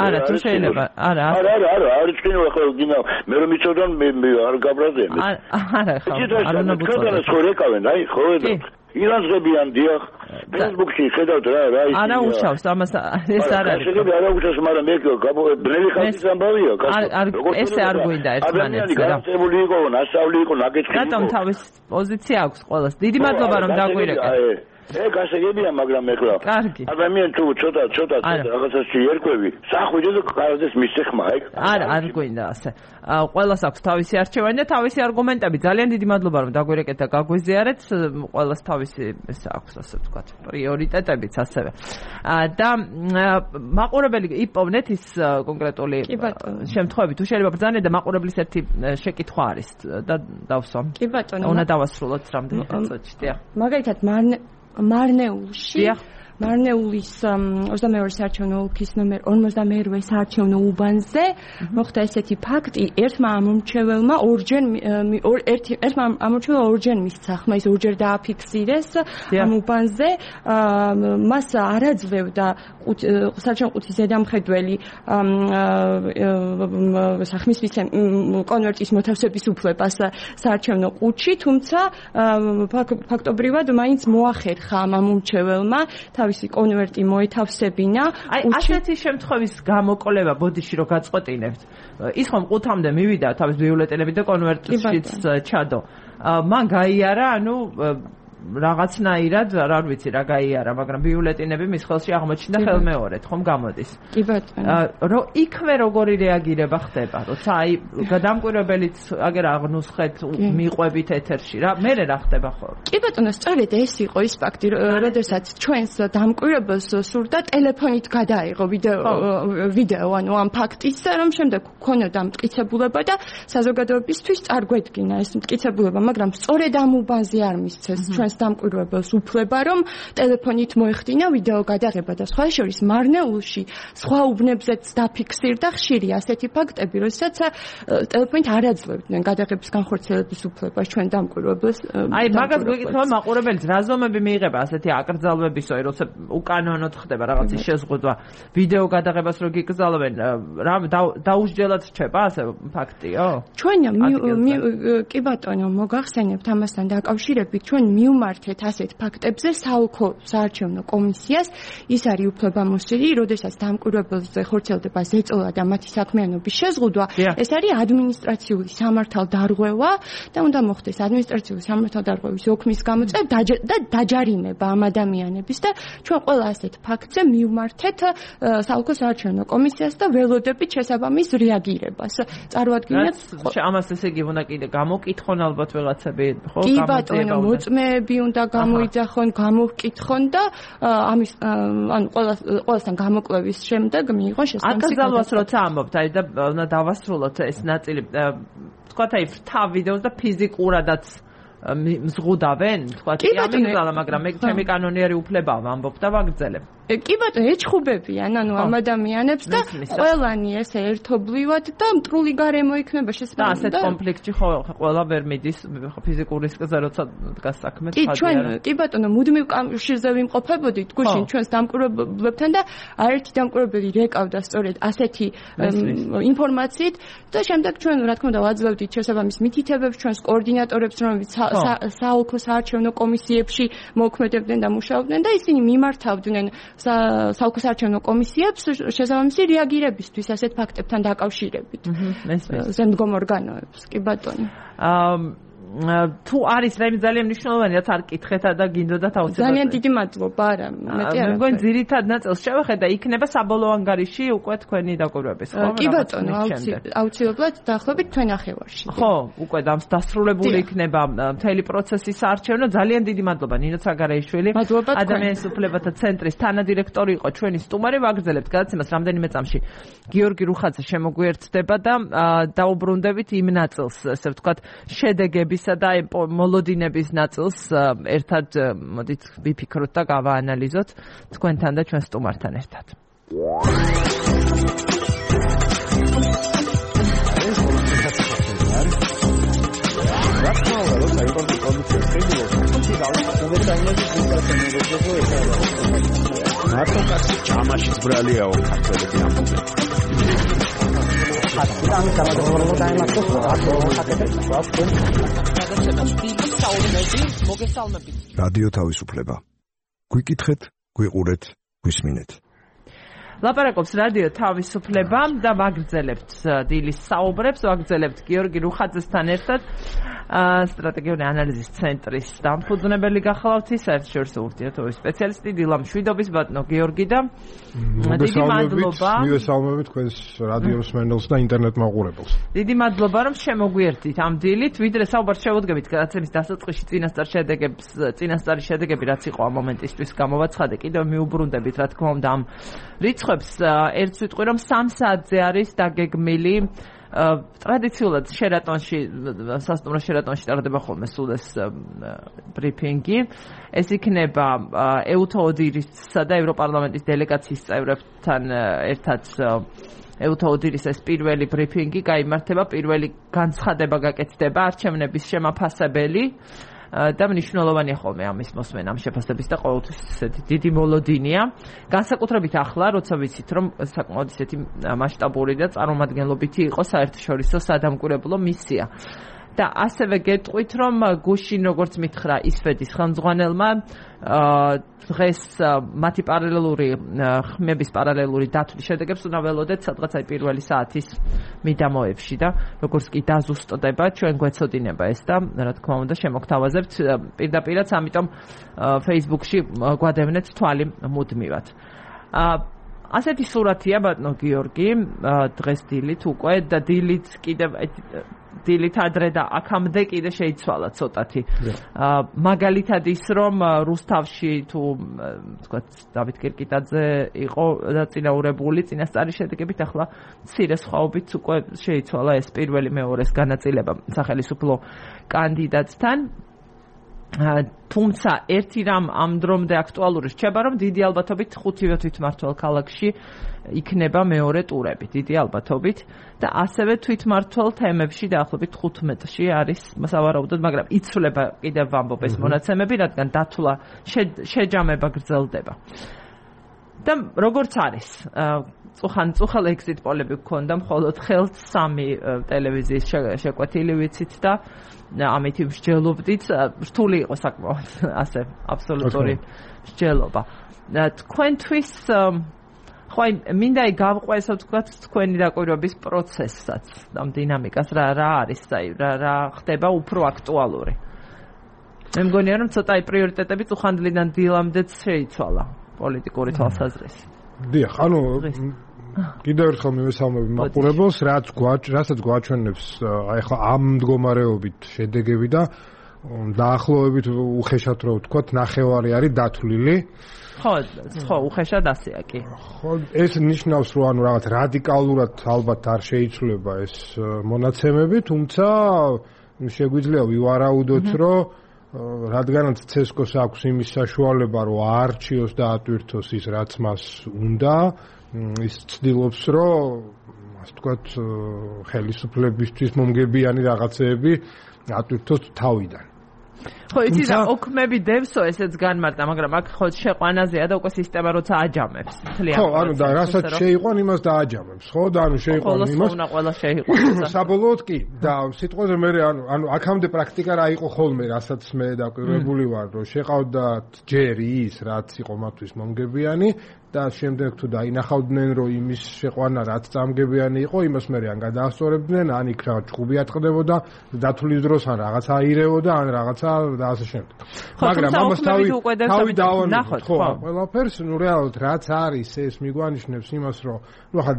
Speaker 1: არა თუ შეიძლება არა
Speaker 5: არა არა არა არ ჭინო ახლა გინდა მე რომ იცოდან მე არ გაბრაზდე
Speaker 1: არა ხო არ უნდა
Speaker 5: ბუთოს ხო რეკავენ აი ხო ირანძღებიან დიახ ფეისბუქში ხედავთ რა რა ის
Speaker 1: არა უშავს ამას ეს არ არის
Speaker 5: შეიძლება არა უშავს მაგრამ მე ბნელი ხალხის ამბავია
Speaker 1: ესე არ გვინდა ერთმანეთს
Speaker 5: რა გასწრებული იყო ნასწავლი იყო ნაკეთი
Speaker 1: რატომ თავის პოზიცია აქვს ყველას დიდი მადლობა რომ დაგვირეკეთ
Speaker 5: ეგ ასეგებია მაგრამ ეხლა ადამიანი თუ ცოტა ცოტა რაღაცაში ერკვევი სახვიდე და კარდეს მისეხმა ეგ
Speaker 1: არა არ გვინდა ასე ყველას აქვს თავისი არჩევანი და თავისი არგუმენტები ძალიან დიდი მადლობა რომ დაგვირეკეთ და გაგვიზიარეთ ყველას თავისი ეს აქვს ასე ვთქვათ პრიორიტეტებიც ასევე და მაყურებელი იპოვნეთ ის კონკრეტული შემთხვევები თუ შეიძლება ბრძანეთ და მაყურებლის ერთი შეკითხვა არის და დავსვამ
Speaker 2: კი ბატონო
Speaker 1: უნდა დავასრულოთ რამდენი წუთში დიახ
Speaker 2: მაგალითად მარნეულში მარნეულის ოცდამეორე საარჩევნო ოლქის ნომერ ორმოცდამეერვე საარჩევნო უბანზე მოხდა ესეთი ფაქტი ერთმა ამომრჩეველმა ორჯერ ერთი ერთმა ამომრჩეველმა ორჯერ მისცა ხმა ის ორჯერ დააფიქსირეს ამ უბანზე მას არაძლევდა საარჩევნო ყუთის ზედამხედველი სახმის კონვერტის მოთავსების უფლებას საარჩევნო ყუთში თუმცა ფაქტობრივად მაინც მოახერხა ამ ამომრჩეველმა თავისი კონვერტი მოეთავსებინა.
Speaker 1: აი ასეთი შემთხვევის გამოკვლევა ბოდიში რო გაწყვეტინებთ. ის ხომ ყუთამდე მივიდა თავის ბიულეტენები და კონვერტშიც ჩადო. მან გაიარა, ანუ რაღაცნაირად არ ვიცი რა გაიარა, მაგრამ ბიულეტენები მის ხელში აღმოჩნდა ხელმეორედ, ხომ გამოდის.
Speaker 2: კი ბატონო.
Speaker 1: რომ იქვე როგორი რეაგირება ხდება, როცა აი გადამკვირვებელიც აგერ აღნუსხეთ მიყვებით ეთერში რა, მე რა ხდება ხოლმე.
Speaker 2: კი ბატონო, სწორედ ეს იყო ის ფაქტი, როდესაც ჩვენს დამკვირვებელს სურდა ტელეფონით გადაიღო ვიდეო ვიდეო ანუ ამ ფაქტის, რომ შემდეგ ქონოდა მტკიცებულება და საზოგადოებისთვის წარგვედგინა ეს მტკიცებულება, მაგრამ სწორედ ამ უბანზე არ მისცეს ჩვენ დამკვირვებელს უფლება რომ ტელეფონით მოეხდინა ვიდეო გადაღება და სხვა შორის მარნეულში სხვა უბნებზეც დაფიქსირდა ხშირი ასეთი ფაქტები, როდესაც ტელეფონით არ აძლევდნენ გადაღების განხორციელების უფლებას ჩვენ დამკვირვებელს.
Speaker 1: აი მაგას გვეკითხება მაყურებელს, რა ზომები მიიღება ასეთი აკრძალვებისო, როცა უკანონოდ ხდება რაღაცის შეზღუდვა, ვიდეო გადაღებას რო გიკრძალავენ, რა დაუსჯელად რჩება ასე ფაქტიო?
Speaker 2: ჩვენ კი ბატონო, მოგახსენებთ ამასთან დაკავშირებით, ჩვენ მივმართეთ ასეთ ფაქტებზე საოლქო საარჩევნო კომისიას, ის არის უფლებამოსილი, როდესაც დამკვირვებელზე ხორციელდება ზეწოლა და მათი საქმიანობის შეზღუდვა, ეს არის ადმინისტრაციული სამართალდარღვევა და უნდა მოხდეს ადმინისტრაციული სამართალდარღვევის ოქმის გამოწვევა და დაჯარიმება ამ ადამიანების და ჩვენ ყველა ასეთ ფაქტზე მივმართეთ საოლქო საარჩევნო კომისიას და ველოდებით შესაბამის რეაგირებას. წარვადგინეთ
Speaker 1: ამას ესე იგი უნდა კიდე გამოკითხონ ალბათ ვიღაცები, ხო?
Speaker 2: კი ბატონო, მოწმეები უნდა გამოიძახონ, გამოვკითხონ და ამის ანუ ყველასთან გამოკვლევის შემდეგ მიიღონ შესაბამისი.
Speaker 1: აკრძალვას როცა ამბობთ, აი და უნდა დავასრულოთ ეს ნაწილი. თქვათ აი ვრთა ვიდეოს და ფიზიკურადაც მზღუდავენ, თქვათ ამიგზალა, მაგრამ მე ჩემი კანონიერი უფლებაა ვამბობ და ვაგრძელებ.
Speaker 2: კი ბატონო, ეჩხუბებიან ანუ ამ ადამიანებს და ყველანი ესე ერთობლივად და მტრული გარემო იქნება შესაძლოა.
Speaker 1: და ასეთ კონფლიქტში ხო ყველა ვერ მიდის ფიზიკური რისკზე, როცა დგას საქმე
Speaker 2: ხადია. კი ჩვენ კი ბატონო, მუდმივ კავშირზე ვიმყოფებოდით გუშინ ჩვენს დამკვირვებლებთან და არერთი დამკვირვებელი რეკავდა სწორედ ასეთი ინფორმაციით და შემდეგ ჩვენ რა თქმა უნდა ვაძლევდით შესაბამის მითითებებს ჩვენს კოორდინატორებს, რომლებიც საოლქო საარჩევნო კომისიებში მოქმედებდნენ და მუშაობდნენ და ისინი მიმართავდნენ საოლქო საარჩევნო კომისიებს შესაბამისი რეაგირებისთვის ასეთ ფაქტებთან დაკავშირებით. ზემდგომ ორგანოებს, კი ბატონო.
Speaker 1: თუ არის რაიმე ძალიან მნიშვნელოვანი, რაც არ კითხეთ და გინდოდათ აუცილებლად.
Speaker 2: ძალიან დიდი მადლობა, არა, მეტი არა.
Speaker 1: მეგონი ძირითად ნაწილს შევხედა, იქნება საბოლოო ანგარიში უკვე თქვენი დაკვირვების, ხო?
Speaker 2: კი ბატონო, აუცილებლად დაახლოებით თქვენ ნახევარში.
Speaker 1: ხო, უკვე დასრულებული იქნება მთელი პროცესი საარჩევნო. ძალიან დიდი მადლობა ნინო ცაგარეიშვილი. ადამიანის უფლებათა ცენტრის თანადირექტორი იყო ჩვენი სტუმარი. ვაგრძელებთ გადაცემას რამდენიმე წამში. გიორგი რუხაძე შემოგვიერთდება და დაუბრუნდებით იმ ნაწილს, ესე ვთქვათ, შედეგების მოლოდინებისა და მოლოდინების ნაწილს ერთად მოდით ვიფიქროთ და გავაანალიზოთ თქვენთან და ჩვენ სტუმართან ერთად.
Speaker 6: მარტო კაცი ჭამაშიც ბრალიაო ქართველები ამბობენ. რადიო თავისუფლება. გვიკითხეთ, გვიყურეთ, გვისმინეთ.
Speaker 1: ლაპარაკობს რადიო თავისუფლება და ვაგრძელებთ დილის საუბრებს, ვაგრძელებთ გიორგი რუხაძესთან ერთად სტრატეგიული ანალიზის ცენტრის დამფუძნებელი გახლავთ საერთაშორისო ურთიერთობების სპეციალისტი დილამ შვიდობის ბატონო გიორგი და
Speaker 7: დიდი მადლობა მივესალმებით თქვენს რადიო მსმენელს და ინტერნეტ მაყურებელს.
Speaker 1: დიდი მადლობა რომ შემოგვიერთდით ამ დილით, ვიდრე საუბარს შევუდგებით გადაცემის დასაწყისში წინასწარ შედეგებს, წინასწარი შედეგები რაც იყო ამ მომენტისთვის გამოვაცხადე, კიდევ მიუბრუნდებით რა თქმა უნდა ამ რიცხვებს ერთ ვიტყვი რომ სამ საათზე არის დაგეგმილი ტრადიციულად შერატონში სასტუმრო შერატონში ტარდება ხოლმე სულ ეს ბრიფინგი. ეს იქნება ეუთოოდირისა და ევროპარლამენტის დელეგაციის წევრებთან ერთად ეუთოოდირის ეს პირველი ბრიფინგი გაიმართება, პირველი განცხადება გაკეთდება, არჩევნების შემაფასებელი და მნიშვნელოვანია ხოლმე ამის მოსმენა, ამ შეფასების და ყოველთვის ესეთი დიდი მოლოდინია. განსაკუთრებით ახლა, როცა ვიცით, რომ საკმაოდ ისეთი მასშტაბური და წარმომადგენლობითი იყო საერთაშორისო სადამკვირვებლო მისია. და ასევე გეტყვით, რომ გუშინ როგორც მითხრა ისვედის ხელმძღვანელმა დღეს მათი პარალელური ხმების პარალელური დათვლის შედეგებს უნდა ველოდეთ სადღაც აი პირველი საათის მიდამოებში და როგორც კი დაზუსტდება ჩვენ გვეცოდინება ეს და რა თქმა უნდა შემოგთავაზებთ პირდაპირაც, ამიტომ Facebook-ში გვადევნეთ თვალი მუდმივად. ასეთი სურათია ბატონო გიორგი დღეს დილით უკვე და დილით კიდევ დილით ადრე და აქამდე კიდე შეიცვალა ცოტათი. მაგალითად ის რომ რუსთავში თუ თქვათ დავით კირკიტაძე იყო დაწინაურებული წინასწარი შედეგებით, ახლა მცირე სხვაობით უკვე შეიცვალა ეს პირველი მეორეს განაწილება სახელმწიფო კანდიდატთან. თუმცა ერთი რამ ამ დრომდე აქტუალური რჩება, რომ დიდი ალბათობით ხუთივე თვითმმართველ ქალაქში იქნება მეორე ტურები, დიდი ალბათობით და ასევე თვითმმართველ თემებში დაახლოებით თხუთმეტში არის სავარაუდოდ, მაგრამ იცვლება კიდევ ვამბობ ეს მონაცემები, რადგან დათვლა შეჯამება გრძელდება. და როგორც არის, წუხან წუხალ ეგზიტ პოლები გქონდა, მხოლოდ ხელთ სამი ტელევიზიის შეკვეთილი ვიცით და ამით მსჯელობდით, რთული იყო საკმაოდ ასე აბსოლუტური მსჯელობა. თქვენთვის ხო აი მინდა გავყვესო თქვათ თქვენი დაკვირვების პროცესსაც, ამ დინამიკას რა რა არის, აი რა რა ხდება უფრო აქტუალური. მე მგონია რომ ცოტა აი პრიორიტეტები წუხანდლიდან დილამდეც შეიცვალა პოლიტიკური თვალსაზრისით.
Speaker 7: დიახ, ანუ კიდევ ერთხელ მივესალმები მაყურებელს, რაც რასაც გვაჩვენებს აი ახლა ამ მდგომარეობით შედეგები და დაახლოებით უხეშად რო ვთქვათ, ნახევარი არის დათვლილი.
Speaker 1: ხო, ხო, უხეშად ასეა კი.
Speaker 7: ხო, ეს ნიშნავს, რომ ანუ რაღაც რადიკალურად ალბათ არ შეიცვლება ეს მონაცემები, თუმცა შეგვიძლია ვივარაუდოთ, რომ რადგანაც ცესკოს აქვს იმის საშუალება, რომ აარჩიოს და ატვირთოს ის, რაც მას უნდა, ის ცდილობს, რომ ასე ვთქვათ, ხელისუფლებისთვის მომგებიანი რაღაცეები ატვირთოს თავიდან.
Speaker 1: ხო, იცი და ოქმები დევსო ესეც განმარტა, მაგრამ აქ ხო შეყვანაზეა და უკვე სისტემა როცა აჯამებს.
Speaker 7: ხო, ანუ და რასაც შეიყვან, იმას დააჯამებს, ხო? და ანუ შეიყვან იმას.
Speaker 1: ხოლოს ყველა შეიყვან.
Speaker 7: საბოლოოდ კი, და სიტყვაზე მე ანუ ანუ აქამდე პრაქტიკა რა იყო ხოლმე, რასაც მე დაკვირვებული ვარ, რომ შეყავდათ ჯერ ის, რაც იყო მათთვის მომგებიანი და შემდეგ თუ დაინახავდნენ, რომ იმის შეყვანა რაც წამგებიანი იყო, იმას მე ან გადაასწორებდნენ, ან იქ რა ჭუბი ატყდებოდა, დათვლის დროს ან რაღაც აირეოდა, ან რაღაცა და ასე შემდეგ.
Speaker 1: მაგრამ ამას თავი
Speaker 7: თავი დავანახოთ, ხო, ყველაფერს, ნუ რეალურად რაც არის, ეს მიგვანიშნებს იმას, რომ ნუ ხა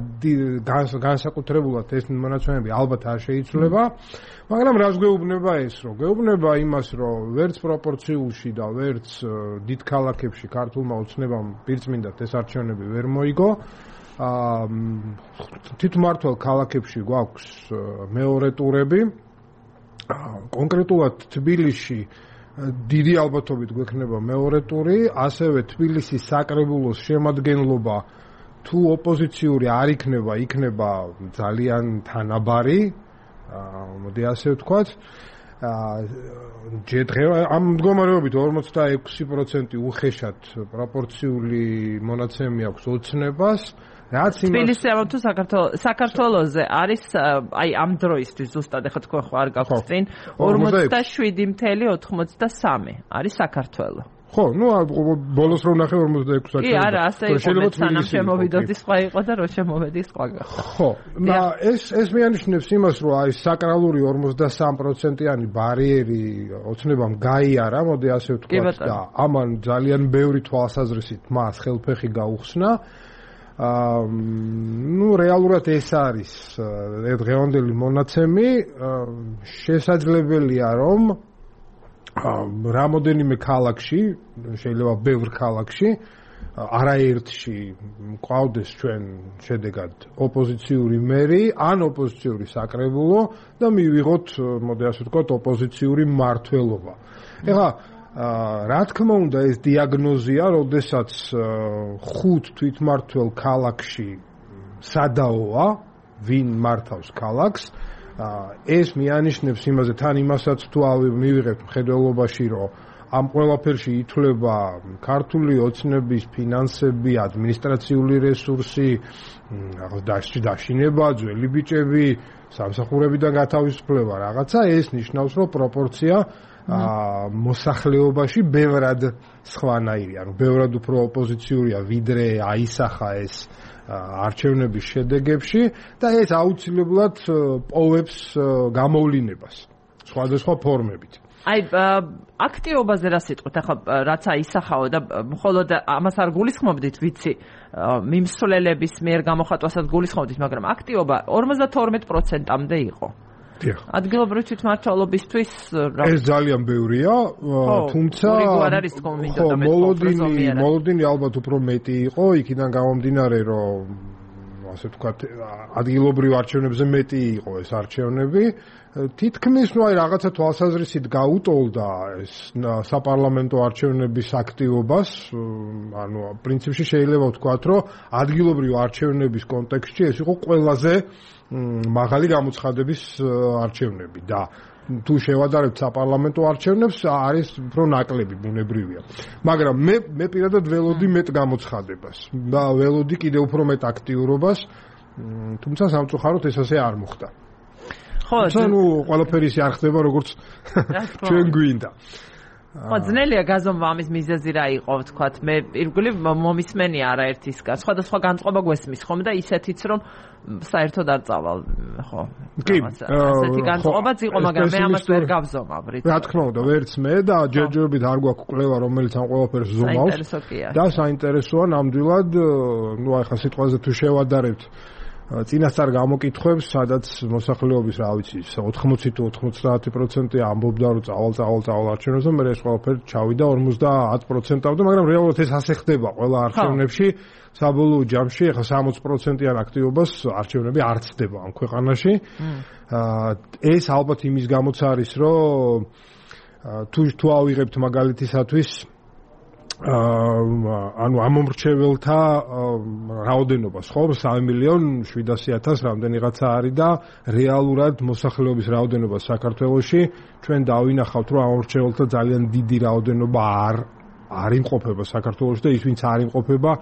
Speaker 7: განსაკუთრებულად ეს მონაცემები ალბათ არ შეიცვლება, მაგრამ რას გვეუბნება ეს, რომ გვეუბნება იმას, რომ ვერც პროპორციულში და ვერც დიდ ქალაქებში ქართულმა ოცნებამ პირწმინდად ეს არჩევნები ვერ მოიგო. აა თვითმმართველ ქალაქებში გვაქვს მეორე ტურები. კონკრეტულად თბილისში დიდი ალბათობით გვექნება მეორე ტური, ასევე თბილისის საკრებულოს შემადგენლობა თუ ოპოზიციური არ იქნება, იქნება ძალიან თანაბარი, მოდი ასე ვთქვათ. ჯერ ამ მდგომარეობით ორმოცდაექვსი პროცენტი უხეშად პროპორციული მონაცემი აქვს ოცნებას. რაც იმას
Speaker 1: თბილისში ამ თუ საქართველოს საქართველოზე არის აი ამ დროისთვის ზუსტად ახლა თქვენ ხო არ გაქვთ წინ ორმოცდაშვიდი წუთი ოთხმოცდასამი არის საქართველო.
Speaker 7: ხო, ну, ბოლოს რომ ნახე ორმოცდაექვსი საათი.
Speaker 1: კი, არა, ასე იყო, სანამ შემოვიდოდი სხვა იყო და რო შემოვედი სხვა გახდა.
Speaker 7: ხო, და ეს ეს მეანიშნებს იმას, რომ აი საკრალური ორმოცდასამი პროცენტიანი ბარიერი ოცნებამ გაიარა, მოდი ასე ვთქვათ და ამან ძალიან ბევრი თვალსაზრისით მას ხელფეხი გაუხსნა. აა ну რეალურად ეს არის დღევანდელი მონაცემი, შესაძლებელია რომ რამოდენიმე ქალაქში, შეიძლება ბევრ ქალაქში, არაერთში მყავდეს ჩვენ შედეგად ოპოზიციური მერი, ან ოპოზიციური საკრებულო და მივიღოთ, მოდი ასე ვთქვათ, ოპოზიციური მმართველობა. ეხლა რა თქმა უნდა ეს დიაგნოზია, როდესაც ხუთ თვითმმართველ ქალაქში სადაოა, ვინ მართავს ქალაქს, ეს მიანიშნებს იმაზე თან იმასაც თუ მივიღებთ მხედველობაში, რომ ამ ყველაფერში ითვლება ქართული ოცნების ფინანსები, ადმინისტრაციული რესურსი, დაშინება, ძველი ბიჭები, სამსახურებიდან გათავისუფლება რაღაცა, ეს ნიშნავს, რომ პროპორცია მოსახლეობაში ბევრად სხვანაირია, ანუ ბევრად უფრო ოპოზიციურია, ვიდრე აისახა ეს არჩევნების შედეგებში და ეს აუცილებლად პოვებს გამოვლინებას სხვადასხვა ფორმებით.
Speaker 1: აი აქტიობაზე რა სიტყვით, ახლა რაც აისახაო და მხოლოდ ამას არ გულისხმობდით, ვიცი, მიმსვლელების მიერ გამოხატვასაც გულისხმობდით, მაგრამ აქტიობა ორმოცდათორმეტ პროცენტამდე იყო. ადგილობრივი თვითმმართველობისთვის
Speaker 7: ეს ძალიან ბევრია, თუმცა მოლოდინი მოლოდინი ალბათ უფრო მეტი იყო, იქიდან გამომდინარე, რომ ასე ვთქვათ, ადგილობრივ არჩევნებზე მეტი იყო ეს არჩევნები. თითქმის ნუ აი რაღაცა თვალსაზრისით გაუტოლდა ეს საპარლამენტო არჩევნების აქტივობას, ანუ პრინციპში შეიძლება ვთქვათ, რომ ადგილობრივ არჩევნების კონტექსტში ეს იყო ყველაზე მაღალი გამოცხადების არჩევნები და თუ შევადარებთ საპარლამენტო არჩევნებს არის უფრო ნაკლები, ბუნებრივია. მაგრამ მე მე პირადად ველოდი მეტ გამოცხადებას და ველოდი კიდევ უფრო მეტ აქტიურობას, თუმცა სამწუხაროდ ეს ასე არ მოხდა.
Speaker 1: ხო,
Speaker 7: ანუ ყველაფერი ისე არ ხდება, როგორც ჩვენ გვინდა.
Speaker 1: ხო, ძნელია გაზომვა ამის მიზეზი რა იყო, ვთქვათ, მე ირგვლივ მომისმენია არაერთისგან. სხვადასხვა განწყობა გვესმის ხომ და ისეთიც რომ საერთოდ არ წავალ, ხო.
Speaker 7: კი,
Speaker 1: ასეთი განწყობაც იყო, მაგრამ მე ამას ვერ გავზომავ, რით.
Speaker 7: რა თქმა უნდა, ვერც მე და ჯერჯერობით არ გვაქვს კვლევა, რომელიც ამ ყველაფერს ზომავს. და საინტერესოა ნამდვილად, ნუ ახლა სიტყვაზე თუ შევადარებთ წინასწარ გამოკითხვებს, სადაც მოსახლეობის, რა ვიცი, ოთხმოცი თუ ოთხმოცდაათი პროცენტი ამბობდა, რომ წავალ წავალ წავალ არჩევნებზე, მე ეს ყველაფერი ჩავიდა ორმოცდაათ პროცენტამდე, მაგრამ რეალურად ეს ასე ხდება ყველა არჩევნებში. საბოლოო ჯამში ახლა სამოცი პროცენტიან აქტივობას არჩევნები არ ცდება ამ ქვეყანაში. ეს ალბათ იმის გამოც არის, რომ თუ თუ ავიღებთ მაგალითისათვის ანუ ამომრჩეველთა რაოდენობას, ხო, სამი მილიონი შვიდასი ათასი რამდენიღაცა არის და რეალურად მოსახლეობის რაოდენობა საქართველოში ჩვენ დავინახავთ, რომ ამომრჩეველთა ძალიან დიდი რაოდენობა არ არ იმყოფება საქართველოში და ის ვინც არ იმყოფება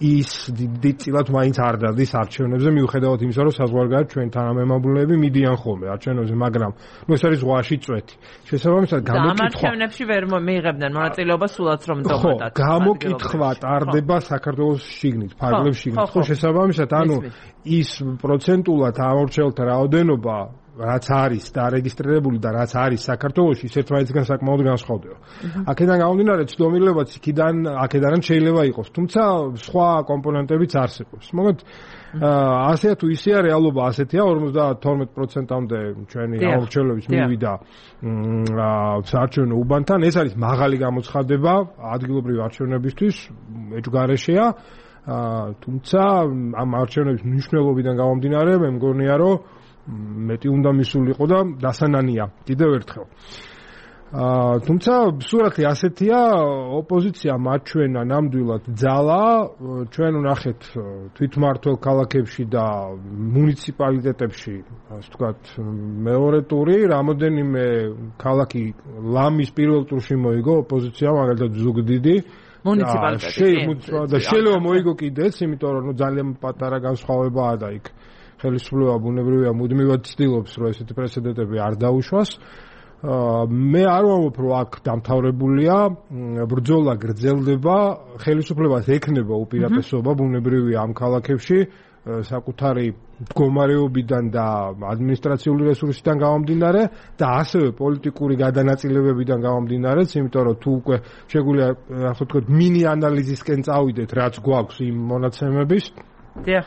Speaker 7: ის დიდწილად მაინც არ დადის არჩევნებზე, მიუხედავად იმისა, რომ საზღვარგარეთ ჩვენ თანამემამულეები მიდიან ხოლმე არჩევნებზე, მაგრამ ნუ ეს არის ზღვაში წვეთი. შესაბამისად, გამოკითხვა
Speaker 1: ამ არჩევნებში ვერ მიიღებდნენ მონაწილეობას სულაც რომ დობოდათ.
Speaker 7: გამოკითხვა ტარდება საქართველოს შიგნით, ფარგლებს შიგნით. ხო, შესაბამისად, ანუ ის პროცენტულად ამორჩეულთა რაოდენობა რაც არის დარეგისტრირებული და რაც არის საქართველოში, ის ერთმანეთისგან საკმაოდ განსხვავდება. აქედან გამომდინარე, ცდომილებაც იქიდან, აქედანაც შეიძლება იყოს, თუმცა სხვა კომპონენტებიც არსებობს. მოგეთ, ასეა თუ ისეა, რეალობა ასეთია, ორმოცდათორმეტ პროცენტამდე ჩვენი ამორჩეულების მივიდა საარჩევნო უბანთან. ეს არის მაღალი გამოცხადება ადგილობრივი არჩევნებისთვის, ეჭვგარეშეა. თუმცა ამ არჩევნების მნიშვნელობიდან გამომდინარე, მე მგონია, რომ მეტი უნდა მისულიყო და დასანანია კიდევ ერთხელ. აა თუმცა სურათი ასეთია, ოპოზიცია მაჩვენა ნამდვილად ძალა, ჩვენ ვნახეთ თვითმმართველ ქალაქებში და მუნიციპალიტეტებში, ასე ვთქვათ, მეორე ტური, რამოდენიმე ქალაქი ლამის პირველ ტურში მოიგო ოპოზიცია, მაგალითად ზუგდიდი
Speaker 1: მუნიციპალიტეტი.
Speaker 7: და შეიძლება მოიგო კიდეც, იმიტომ რომ ძალიან პატარა განსხვავებაა და იქ ხელისუფლება ბუნებრივია მუდმივად ცდილობს, რომ ესეთი პრეცედენტები არ დაუშვას. მე არ ვამბობ, რომ აქ დამთავრებულია, ბრძოლა გრძელდება, ხელისუფლებას ექნება უპირატესობა ბუნებრივია ამ ქალაქებში, საკუთარი მდგომარეობიდან და ადმინისტრაციული რესურსიდან გამომდინარე და ასევე პოლიტიკური გადანაწილებებიდან გამომდინარეც, იმიტომ რომ თუ უკვე შეგვიძლია ასე ვთქვათ მინი ანალიზისკენ წავიდეთ, რაც გვაქვს იმ მონაცემების.
Speaker 1: დიახ.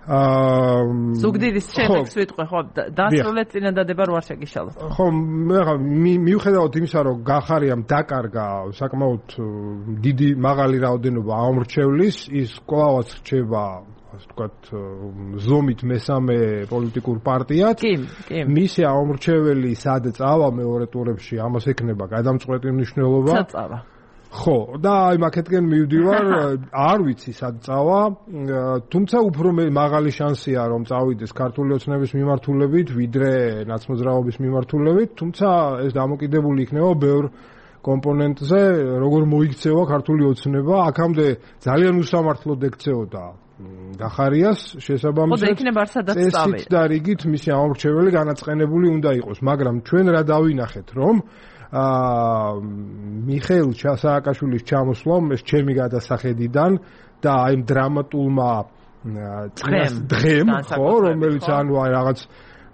Speaker 1: აა ზუგდიდის შედეგს ვიტყვი, ხო, დასრულეთ წინადადება რო არ შეგიშალოთ.
Speaker 7: ხო, მე მიუხედავად იმისა, რომ გახარიამ დაკარგა საკმაოდ დიდი მაღალი რაოდენობა ამორჩევლის, ის კვლავაც რჩება, ასე ვთქვათ, ზომით მესამე პოლიტიკურ პარტიად.
Speaker 1: კი, კი.
Speaker 7: მისი ამორჩეველი სად წავა მეორე ტურებში, ამას ექნება გადამწყვეტი მნიშვნელობა.
Speaker 1: სად წავა?
Speaker 7: ხო, და აი მაკეთკენ მივდივარ, არ ვიცი სად წავა, თუმცა უფრო მაღალი შანსია რომ წავიდეს ქართული ოცნების მიმართულებით, ვიდრე ნაცმოძრაობის მიმართულებით, თუმცა ეს დამოკიდებული იქნება ბევრ კომპონენტზე, როგორ მოიქცევა ქართული ოცნება, აქამდე ძალიან უსამართლოდ ექცეოდა გახარიას შესაბამისად.
Speaker 1: ხო, და იქნება სადაც წავიდა.
Speaker 7: წესით და რიგით მისი ამორჩეველი განაწყენებული უნდა იყოს, მაგრამ ჩვენ რა დავინახეთ, რომ აა მიხეილ სააკაშვილის ჩამოსვლამ ეს ჩემი გადასახედიდან და აი ამ დრამატულმა დღემ, ხო, რომელიც ანუ აი რაღაც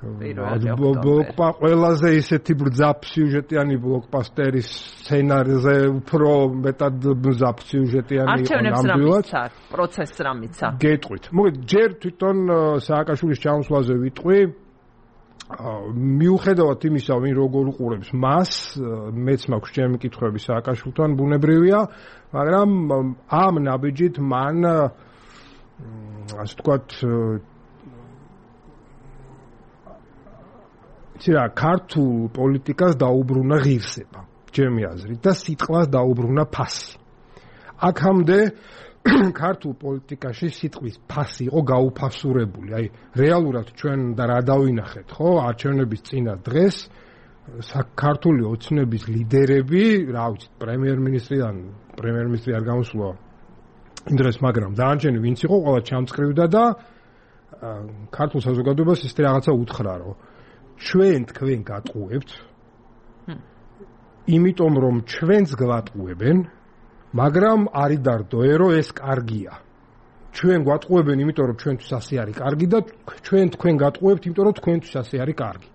Speaker 7: ბლოკპა ყველაზე ისეთი ბრძაფ სიუჟეტიანი ბლოკბასტერის სცენარზე უფრო მეტად ბრძაფ სიუჟეტიანი იყო ნამდვილად.
Speaker 1: პროცესს რამიცა.
Speaker 7: გეტყვით. მოგეთ ჯერ თვითონ სააკაშვილის ჩამოსვლაზე ვიტყვი. მიუხედავად იმისა, ვინ როგორ უყურებს მას, მეც მაქვს ჩემი კითხვები სააკაშვილთან, ბუნებრივია, მაგრამ ამ ნაბიჯით მან ასე ვთქვათ ცირა ქართულ პოლიტიკას დაუბრუნა ღირსება, ჩემი აზრით, და სიტყვას დაუბრუნა ფასი. აქამდე ქართულ პოლიტიკაში სიტყვის ფასი იყო გაუფასურებული. აი, რეალურად ჩვენ და რა დავინახეთ, ხო, არჩევნების წინა დღეს ქართული ოცნების ლიდერები, რა ვიცი, პრემიერ-მინისტრიდან, პრემიერ-მინისტრი არ გამოსულა იმ დღეს, მაგრამ დანარჩენი ვინც იყო, ყველა ჩამწკრივდა და ქართულ საზოგადოებას ისეთი რაღაცა უთხრა, რომ ჩვენ თქვენ გატყუებთ, იმიტომ რომ ჩვენს გვატყუებენ, მაგრამ არის დარდოე, რომ ეს კარგია. ჩვენ გვატყუებენ, იმიტომ რომ ჩვენთვის ასე არის კარგი და ჩვენ თქვენ გატყუებთ, იმიტომ რომ თქვენთვის ასე არის კარგი.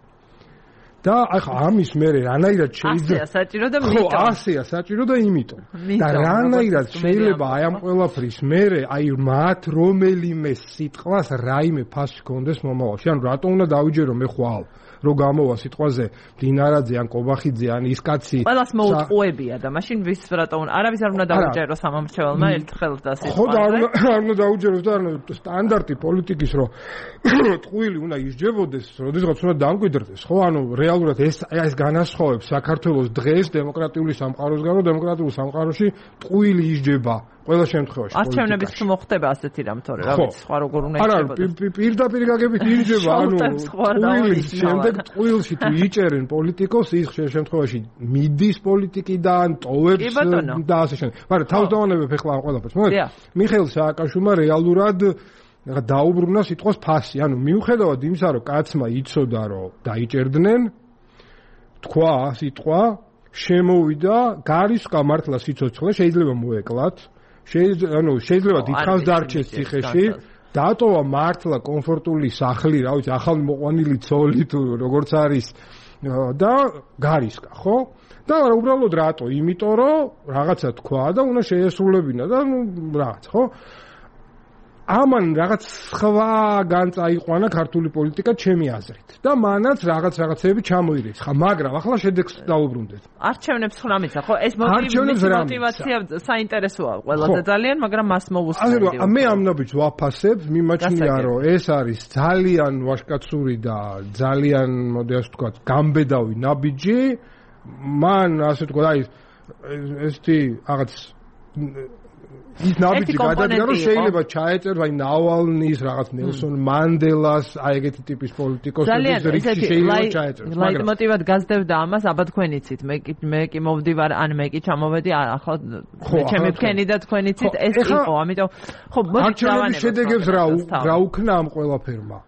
Speaker 7: და ახლა ამის მერე რანაირად შეიძლება
Speaker 1: ასეა საჭირო და იმიტომ.
Speaker 7: ხო, ასეა საჭირო და იმიტომ. და რანაირად შეიძლება აი ამ ყველაფრის მერე აი მათ რომელიმე სიტყვას რაიმე ფასი კონდეს მომავალში. ანუ რატო უნდა დავიჯერო მე ხვალ რო გამოვა სიტყვაზე დინარაძე ან კობახიძე ან ის კაცი
Speaker 1: ყველას მოუწყუებია და მაშინ ვის რატო არავის არ უნდა დაუჯეროს სამომრჩეველმა ერთხელ და სიტყვაზე.
Speaker 7: ხო და არ უნდა დაუჯეროს და სტანდარტი პოლიტიკის რო ტყუილი უნდა ისჯებოდეს, როდესაც უნდა დამკვიდრდეს. ხო, ანუ რეალურად ეს ეს განასხვავებს საქართველოს დღეს დემოკრატიული სამყაროსგან, რომ დემოკრატიულ სამყაროში ტყუილი ისჯება ყველა შემთხვევაში.
Speaker 1: არჩევნების თუ მოხდება ასეთი რამ, თორე რა ვიცი, სხვა როგორ უნდა
Speaker 7: ისჯებოდეს. არა, პირდაპირ გაგებით ისჯება, ანუ ტყუილის შემდეგ ტყუილში თუ იჭერენ პოლიტიკოს, ის შემთხვევაში მიდის პოლიტიკიდან, ტოვებს და ასე შემდეგ. მაგრამ თავს დავანებებ ახლა ამ ყველაფერს. მოგეთ? მიხეილ სააკაშვილმა რეალურად დაუბრუნა სიტყვას ფასი. ანუ მიუხედავად იმისა, რომ კაცმა იცოდა, რომ დაიჭერდნენ, თქვა სიტყვა, შემოვიდა, გარისკა მართლა სიცოცხლე, შეიძლება მოეკლათ, შეიძლება, ანუ შეიძლება დიდხანს დარჩეს ციხეში, დატოვა მართლა კომფორტული სახლი, რა ვიცი, ახალ მოყვანილი ცოლი თუ როგორც არის და გარისკა, ხო? და უბრალოდ რატო? იმიტომ რომ რაღაცა თქვა და უნდა შეესრულებინა და ნუ რაღაც, ხო? ამან რაღაც სხვა განწაიყვანა ქართული პოლიტიკა ჩემი აზრით და მანაც რაღაც რაღაცები ჩამოირიცხა, მაგრამ ახლა შედეგს დაუბრუნდეთ.
Speaker 1: არჩევნებს ხლა მიცა, ხო? ეს мотивация საინტერესოა ყველაზე ძალიან, მაგრამ მას მოვუსწრებდი.
Speaker 7: ასე რომ მე ამ ნაბიჯს ვაფასებ, მიმაჩნია რომ ეს არის ძალიან ვაჟკაცური და ძალიან, მოდი ასე ვთქვათ, გამბედავი ნაბიჯი. მან ასე ვთქვათ, აი ესეთი რაღაც ის ნაბიჯი გადადგა რომ შეიძლება ჩაეწეროს აი ნავალნის რაღაც ნელსონ მანდელას აი ეგეთი ტიპის პოლიტიკოსების რიგში შეიძლება ჩაეწეროს
Speaker 1: მაგრამ ლაიტმოტივად გაზრდებდა ამას აბა თქვენ იცით მე კი მე კი მოვდივარ ან მე კი ჩამოვედი ახლა ჩემი თქვენი და თქვენ იცით ეს იყო ამიტომ ხო
Speaker 7: არჩევნების შედეგებს რა რა უქნა ამ ყველაფერმა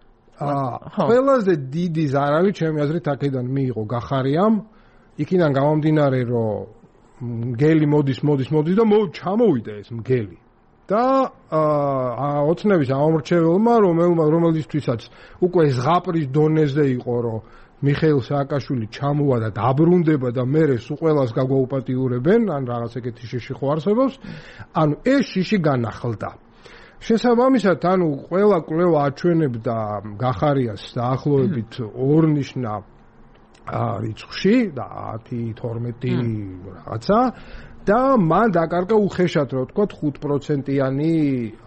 Speaker 7: აა ყველაზე დიდი ზარავი ჩემი აზრით აქედან მიიღო გახარიამ იქიდან გამომდინარე რომ მგელი მოდის მოდის მოდის და ჩამოვიდა ეს მგელი და აა ოცნების ამორჩეველმა რომელმა რომელისთვისაც უკვე ზღაპრის დონეზე იყო რომ მიხეილ სააკაშვილი ჩამოვა და დაბრუნდება და მერე სულ ყველას გაგვაუპატიურებენ ან რაღაც ეგეთი შიში ხო არსებობს ანუ ეს შიში განახლდა შესაბამისად ანუ ყველა კვლევა აჩვენებდა გახარიას დაახლოებით ორნიშნა რიცხვში და ათი თორმეტი რაღაცა და მან დაკარგა უხეშად რა ვთქვათ ხუთ პროცენტიანი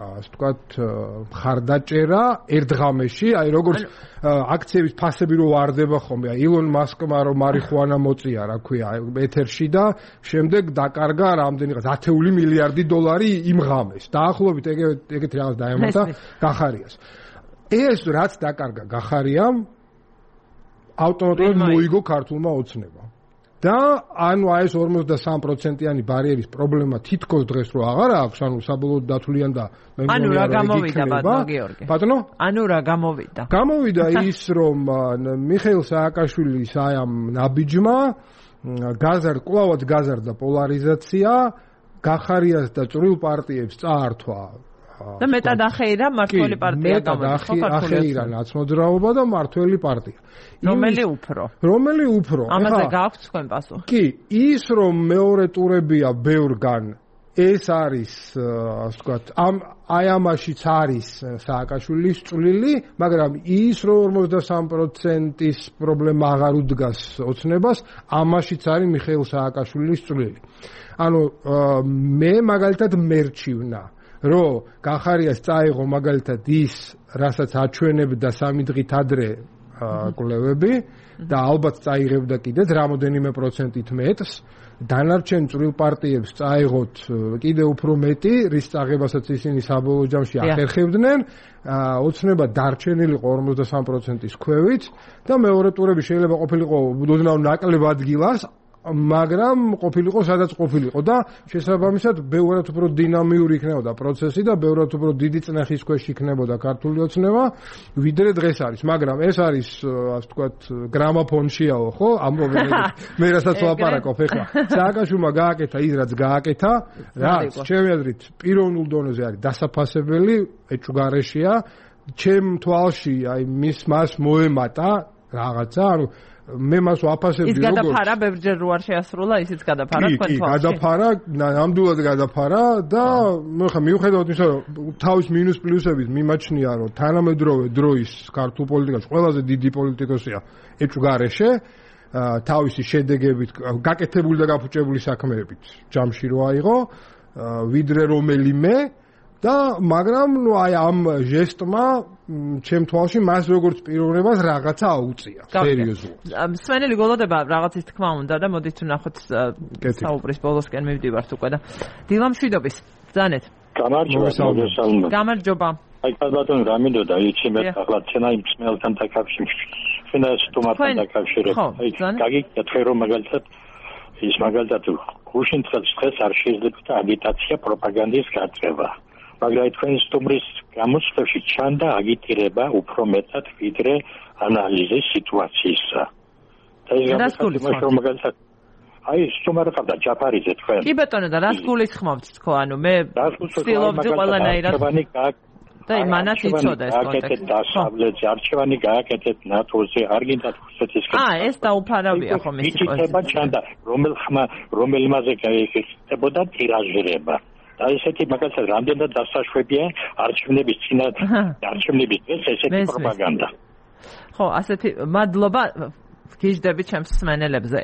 Speaker 7: ასე ვთქვათ მხარდაჭერა ერთ ღამეში აი როგორც აქციების ფასები რო ვარდება ხოლმე აი ილონ მასკმა რომ მარიხუანა მოწია რა ქვია ეთერში და შემდეგ დაკარგა რამდენიღაც ათეული მილიარდი დოლარი იმ ღამეს დაახლოებით ეგეთი რაღაც დაემატა გახარიას ეს რაც დაკარგა გახარიამ ავტომატურად მოიგო ქართულმა ოცნებამ. და ანუ აი ეს ორმოცდასამი პროცენტიანი ბარიერის პრობლემა თითქოს დღეს რო აღარ აქვს, ანუ საბოლოოდ დათვლიან და
Speaker 1: მე მგონია ანუ რა გამოვიდა ბატონო გიორგი?
Speaker 7: ბატონო?
Speaker 1: ანუ რა გამოვიდა?
Speaker 7: გამოვიდა ის რომ მიხეილ სააკაშვილის აი ამ ნაბიჯმა გაზარდა, კლავად გაზარდა პოლარიზაცია, გახარიას და წვრილ პარტიებს წაართვა
Speaker 1: და მეტად ახეირა მართველი პარტია გამოდის ხო
Speaker 7: ახეირა ნაცმოძრაობა და მართველი პარტია
Speaker 1: რომელი უფრო
Speaker 7: რომელი უფრო
Speaker 1: ამაზე გააქვთ თქვენ პასუხი
Speaker 7: კი ის რომ მეორე ტურებია ბევრგან ეს არის ასე ვთქვათ ამ აი ამაშიც არის სააკაშვილის წვლილი მაგრამ ის რომ ორმოცდასამი პროცენტის პრობლემა აღარ უდგას ოცნებას ამაშიც არის მიხეილ სააკაშვილის წვლილი ანუ მე მაგალითად მერჩივნა რომ გახარიას წაიღო მაგალითად ის, რასაც აჩვენებდა სამი დღით ადრე კვლევები და ალბათ წაიღებდა კიდეც რამოდენიმე პროცენტით მეტს, დანარჩენ წვრილ პარტიებს წაიღოთ კიდე უფრო მეტი, რის წაღებასაც ისინი საბოლოო ჯამში ახერხებდნენ, ოცნება დარჩენილიყო ორმოცდასამი პროცენტის ქვევით და მეორე ტურები შეიძლება ყოფილიყო ოდნავ ნაკლებ ადგილას მაგრამ ყოფილიყო სადაც ყოფილიყო და შესაბამისად ბევრად უფრო დინამიური იქნებოდა პროცესი და ბევრად უფრო დიდი წნეხის ქვეშ იქნებოდა ქართული ოცნება ვიდრე დღეს არის მაგრამ ეს არის ასე ვთქვათ გრამოფონშიაო ხო ამ პრობლემებს მე რასაც ვაპარაკობ ეხლა სააკაშვილმა გააკეთა ის რაც გააკეთა რაც ჩემი აზრით პიროვნულ დონეზე არის დასაფასებელი ეჭვგარეშეა ჩემ თვალში აი მის მას მოემატა რაღაცა ანუ მე მას ვაფასებდი
Speaker 1: როგორც ის გადაფარა ბევრჯერ რო არ შეასრულა ისიც გადაფარა თქვენ თვალში.
Speaker 7: კი, გადაფარა, ნამდვილად გადაფარა და მე ხა მიუხედავად იმისა რომ თავის მინუს პლუსებით მიმაჩნია რომ თანამედროვე დროის ქართულ პოლიტიკაში ყველაზე დიდი პოლიტიკოსია ეჭვგარეშე თავისი შედეგებით გაკეთებული და გაფუჭებული საქმეებით ჯამში რო აიღო ვიდრე რომელიმე და მაგრამ ნუ აი ამ ჟესტმა ჩემ თვალში მას როგორც პიროვნებას რაღაცა აუწია სერიოზულად.
Speaker 1: სვენელი გოლოდება რაღაცის თქმა უნდა და მოდით ვნახოთ საუბრის ბოლოსკენ მივდივართ უკვე და დილამშვიდობის ბრძანეთ.
Speaker 8: გამარჯობა.
Speaker 1: გამარჯობა.
Speaker 8: აი ბატონო რა მინდოდა იცი მე ახლა ცენა იმ სმელთან დაკავშირებით. ცენა სტომატთან დაკავშირებით. აი გაგიკეთე რომ მაგალითად ის მაგალითად გუშინ დღეს არ შეიძლება აგიტაცია პროპაგანდის გაწევა. მაგრამ თქვენი სტუმრის გამოსვლებში ჩანდა აგიტირება უფრო მეტად ვიდრე ანალიზი სიტუაციისა. და ეს გამოსვლებში რომ მაგალითად აი სტუმარი ყავდა ჯაფარიძე თქვენ.
Speaker 1: კი ბატონო და რას გულისხმობთ თქო ანუ მე ვცდილობდი ყველანაირად და იმანაც იცოდა ეს კონტექსტი.
Speaker 8: დასავლეთზე არჩევანი გააკეთეთ ნატოზე არ გინდათ რუსეთისკენ.
Speaker 1: აა ეს დაუფარავია ხომ ეს
Speaker 8: სიტუაცია. ჩანდა რომელ ხმა რომელ მასე გაიხსნებოდა ტირაჟირება. და ესეთი მაგალითად რამდენად დასაშვებია არჩევნების წინათ არჩევნების დღეს ესეთი პროპაგანდა.
Speaker 1: ხო, ასეთი მადლობა გიждები ჩემს მსმენელებზე.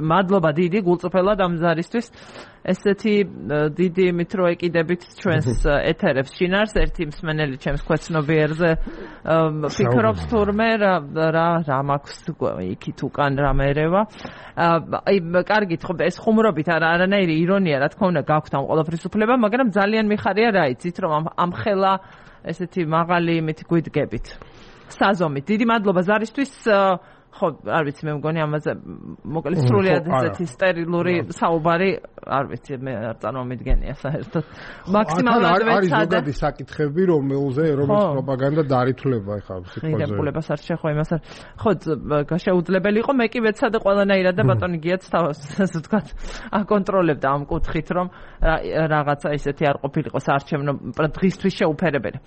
Speaker 1: მადლობა დიდი გულწრფელად ამ ზარისთვის. ესეთი დიდი იმით რო ეკიდებით ჩვენს ეთერებს შინარს ერთი მსმენელი ჩემს ქვეცნობიერზე ფიქრობს თურმე რა რა მაქვს იქით უკან რამე ერევა. აი კარგით ხო ეს ხუმრობით არა არანაირი ირონია რა თქმა უნდა გაქვთ ამ ყველაფრის უფლება, მაგრამ ძალიან მიხარია რა იცით რომ ამ ხელა ესეთი მაღალი იმით გვიდგებით. საზომით. დიდი მადლობა ზარისთვის. ხო, არ ვიცი, მე მგონი ამაზე მოკლედ სრულიად ესეთი სტერილური საუბარი, არ ვიცი, მე არ წარმომიდგენია საერთოდ. მაქსიმალურად ვეცადე.
Speaker 7: არის ზოგადი საკითხები, რომელზე რომლის პროპაგანდა დაარითულება ხა სიტყვაზე.
Speaker 1: მიღებულებას არ შეხო იმას არ. ხო, შეუძლებელი იყო, მე კი ვეცადე ყველანაირად და ბატონი გიაც თავს, ასე ვთქვათ, აკონტროლებდა ამ კუთხით, რომ რაღაცა ისეთი არ ყოფილიყო საარჩევნო დღისთვის შეუფერებელი.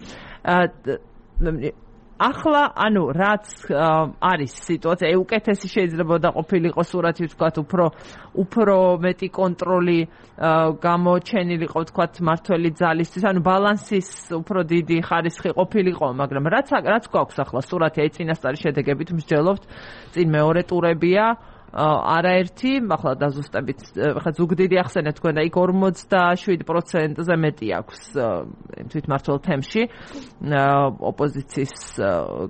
Speaker 1: ახლა ანუ რაც არის სიტუაცია უკეთესი შეიძლება და ყოფილიყო სურათი ვთქვათ უფრო უფრო მეტი კონტროლი გამოჩენილიყო ვთქვათ მართველი ძალისთვის ანუ ბალანსის უფრო დიდი ხარისხი ყოფილიყო მაგრამ რაც რაც გვაქვს ახლა სურათი აი წინასწარი შედეგებით მსჯელობთ წინ მეორე ტურებია არაერთი ახლა დაზუსტებით ხა ზუგდიდი ახსენეთ თქვენ და იქ ორმოცდაშვიდ პროცენტზე მეტი აქვს თვითმმართველ თემში ოპოზიციის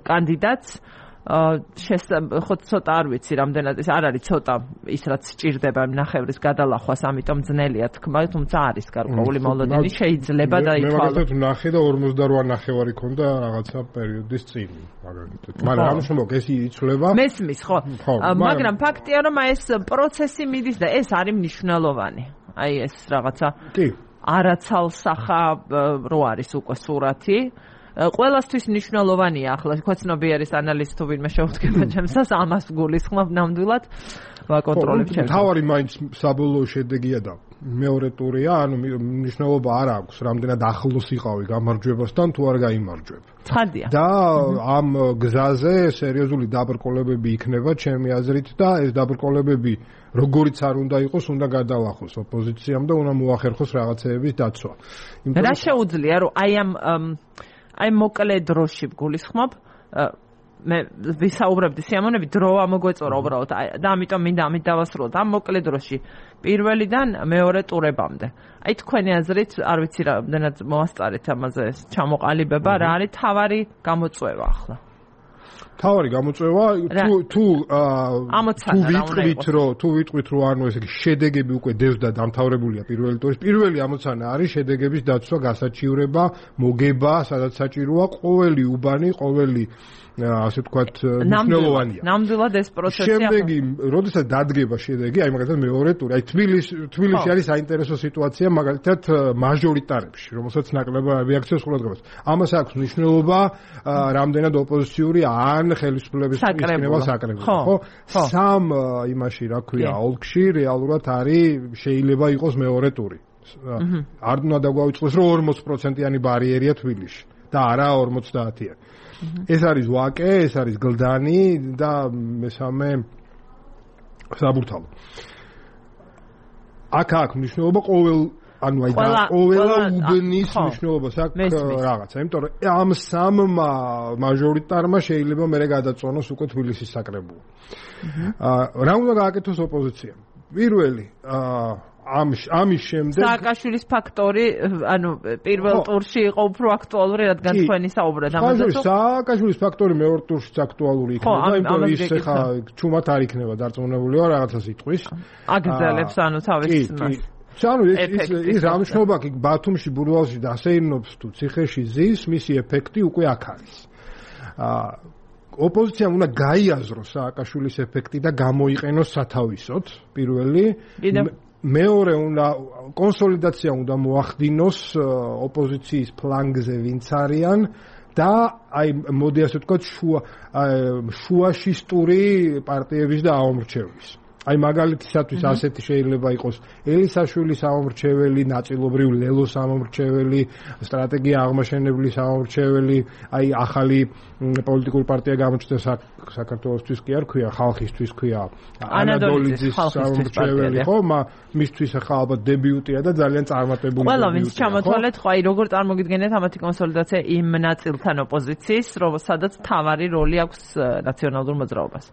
Speaker 1: კანდიდატს ხო ცოტა არ ვიცი რამდენად ეს არ არის ცოტა ის რაც სჭირდება ნახევრის გადალახვას ამიტომ ძნელია თქმა თუმცა არის გარკვეული მოლოდინი შეიძლება და ითვალო
Speaker 7: მე მაგალითად ნახე და ორმოცდაოთხ ნახევარი ქონდა რაღაცა პერიოდის წინ მაგალითად მაგრამ ამ შემოგ ეს იცვლება
Speaker 1: მესმის ხო მაგრამ ფაქტია რომ ეს პროცესი მიდის და ეს არის მნიშვნელოვანი აი ეს რაღაცა
Speaker 7: კი
Speaker 1: არაცალსახა რო არის უკვე სურათი ყველასთვის მნიშვნელოვანია ახლა ქვეცნობიერის ანალიზი თუ ვინმე შეუდგება ჩემსას ამას გულისხმობ ნამდვილად ვაკონტროლებ ჩემს.
Speaker 7: თავარი მაინც საბოლოო შედეგია და მეორე ტურია, ანუ მნიშვნელობა არ აქვს, რამდენად ახლოს იყავი გამარჯვებასთან თუ არ გაიმარჯვებ.
Speaker 1: ცხადია.
Speaker 7: და ამ გზაზე სერიოზული დაბრკოლებები იქნება ჩემი აზრით და ეს დაბრკოლებები როგორიც არ უნდა იყოს, უნდა გადალახოს ოპოზიციამ და უნდა მოახერხოს რაღაცეების დაცვა.
Speaker 1: რა შეუძლია რომ აი ამ აი მოკლე დროში გულისხმობ მე ვისაუბრებდი სიამონები დრო ამოგვეწორა უბრალოდ და ამიტომ მინდა ამით დავასრულოთ ამ მოკლე დროში პირველიდან მეორე ტურებამდე აი თქვენი აზრით არ ვიცი რამდენად მოასწარეთ ამაზე ჩამოყალიბება რა არის თავარი გამოწვევა ახლა
Speaker 7: თავარი გამოწვევა თუ თუ თუ ვიტყვით რომ თუ ვიტყვით რომ ანუ ესე იგი შედეგები უკვე დევს და დამთავრებულია პირველი ტურის პირველი ამოცანა არის შედეგების დაცვა გასაჩივრება მოგება სადაც საჭიროა ყოველი უბანი ყოველი ასე ვთქვათ მნიშვნელოვანია
Speaker 1: ნამდვილად ეს პროცესი
Speaker 7: შემდეგი როდესაც დადგება შედეგი აი მაგალითად მეორე ტური აი თბილისი თბილისი არის საინტერესო სიტუაცია მაგალითად მაჟორიტარებში რომელსაც ნაკლებად რეაქციას ყურადღებას ამას აქვს მნიშვნელობა რამდენად ოპოზიციური ან ხელისუფლების ისკნება საკრებულო ხო სამ იმაში რა ქვია ოლქში რეალურად არის შეიძლება იყოს მეორე ტური არ უნდა დაგვაუწყოს რომ ორმოცი პროცენტიანი ბარიერია თბილისში და არა ორმოცდაათიანი ეს არის ვაკე, ეს არის გლდანი და მესამე საბურთალო. აქ აქ მნიშვნელობა ყოველ ანუ აი და ყოველა უბნის მნიშვნელობას აქვს რაღაცა, იმიტომ რომ ამ სამ მაჟორიტარმა შეიძლება მერე გადაწონოს უკვე თბილისის საკრებულო. აა რა უნდა გააკეთოს ოპოზიციამ? პირველი აა ამ ამის შემდეგ
Speaker 1: სააკაშვილის ფაქტორი ანუ პირველ ტურში იყო უფრო აქტუალური რადგან თქვენი საუბრად ამაზე
Speaker 7: თუ სააკაშვილის ფაქტორი მეორე ტურშიც აქტუალური იქნება იმიტომ რომ ის ხა ჩუმად არ იქნება დარწმუნებული ვარ რაღაცა სიტყვის
Speaker 1: აგრძელებს ანუ თავის მას
Speaker 7: ანუ ის ის რამშობა კი ბათუმში ბურვალში დასეირნობს თუ ციხეში ზის მისი ეფექტი უკვე აქ არის აა ოპოზიციამ უნდა გაიაზროს სააკაშვილის ეფექტი და გამოიყენოს სათავისოდ პირველი მეორე უნდა კონსოლიდაცია უნდა მოახდინოს ოპოზიციის ფლანგზე ვინც არიან და აი მოდი ასე ვთქვათ შუა შუაშისტური პარტიების და აომრჩევის აი მაგალითისათვის ასეთი შეიძლება იყოს ელისაშვილის სამომრჩეველი, ნაწილობრივ ლელოს სამომრჩეველი, სტრატეგია აღმაშენებლის სამომრჩეველი, აი ახალი პოლიტიკური პარტია გამოჩნდა საქართველოსთვის კი არ ქვია, ხალხისთვის ქვია, ანადოლიძის სამომრჩეველი, ხო, მისთვის ახლა ალბათ დებიუტია და ძალიან წარმატებული დებიუტია.
Speaker 1: ყველა ვინც ჩამოთვალეთ, ხო, აი როგორ წარმოგიდგენთ ამათი კონსოლიდაცია იმ ნაწილთან ოპოზიციის, სადაც თავარი როლი აქვს ნაციონალურ მოძრაობას.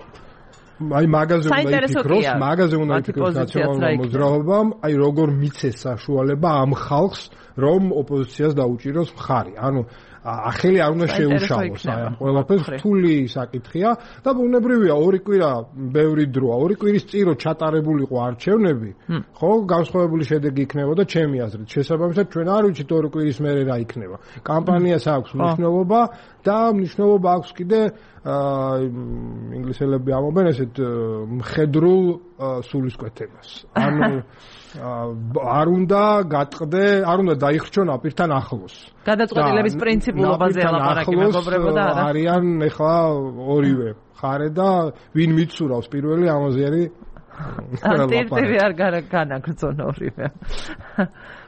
Speaker 1: აი მაგაზე უნდა იფიქროს, მაგაზე უნდა იფიქროს ნაციონალურ მოძრაობამ, აი როგორ მიცეს საშუალება ამ ხალხს, რომ ოპოზიციას დაუჭიროს მხარი. ანუ ახელი არ უნდა შეუშალოს აი ამ ყველაფერს, რთული საკითხია და ბუნებრივია ორი კვირა ბევრი დროა, ორი კვირის წინ რო ჩატარებულიყო არჩევნები, ხო, განსხვავებული შედეგი იქნებოდა ჩემი აზრით. შესაბამისად ჩვენ არ ვიცით ორი კვირის მერე რა იქნება. კამპანიას აქვს მნიშვნელობა და მნიშვნელობა აქვს კიდე აა ინგლისელები ამობენ ესეთ მხედრულ სულისკვეთებას. ანუ არ უნდა გატყდე, არ უნდა დაიხრჩონ აპირთან ახლოს. გადაწყვეტილების პრინციპულობაზე ლაპარაკი მეგობრებო და არა.
Speaker 7: არიან ეხლა ორივე ხარე და ვინ მიცურავს პირველი ამაზე არის
Speaker 1: ანტირტივი არ განაგრძონ ორივე.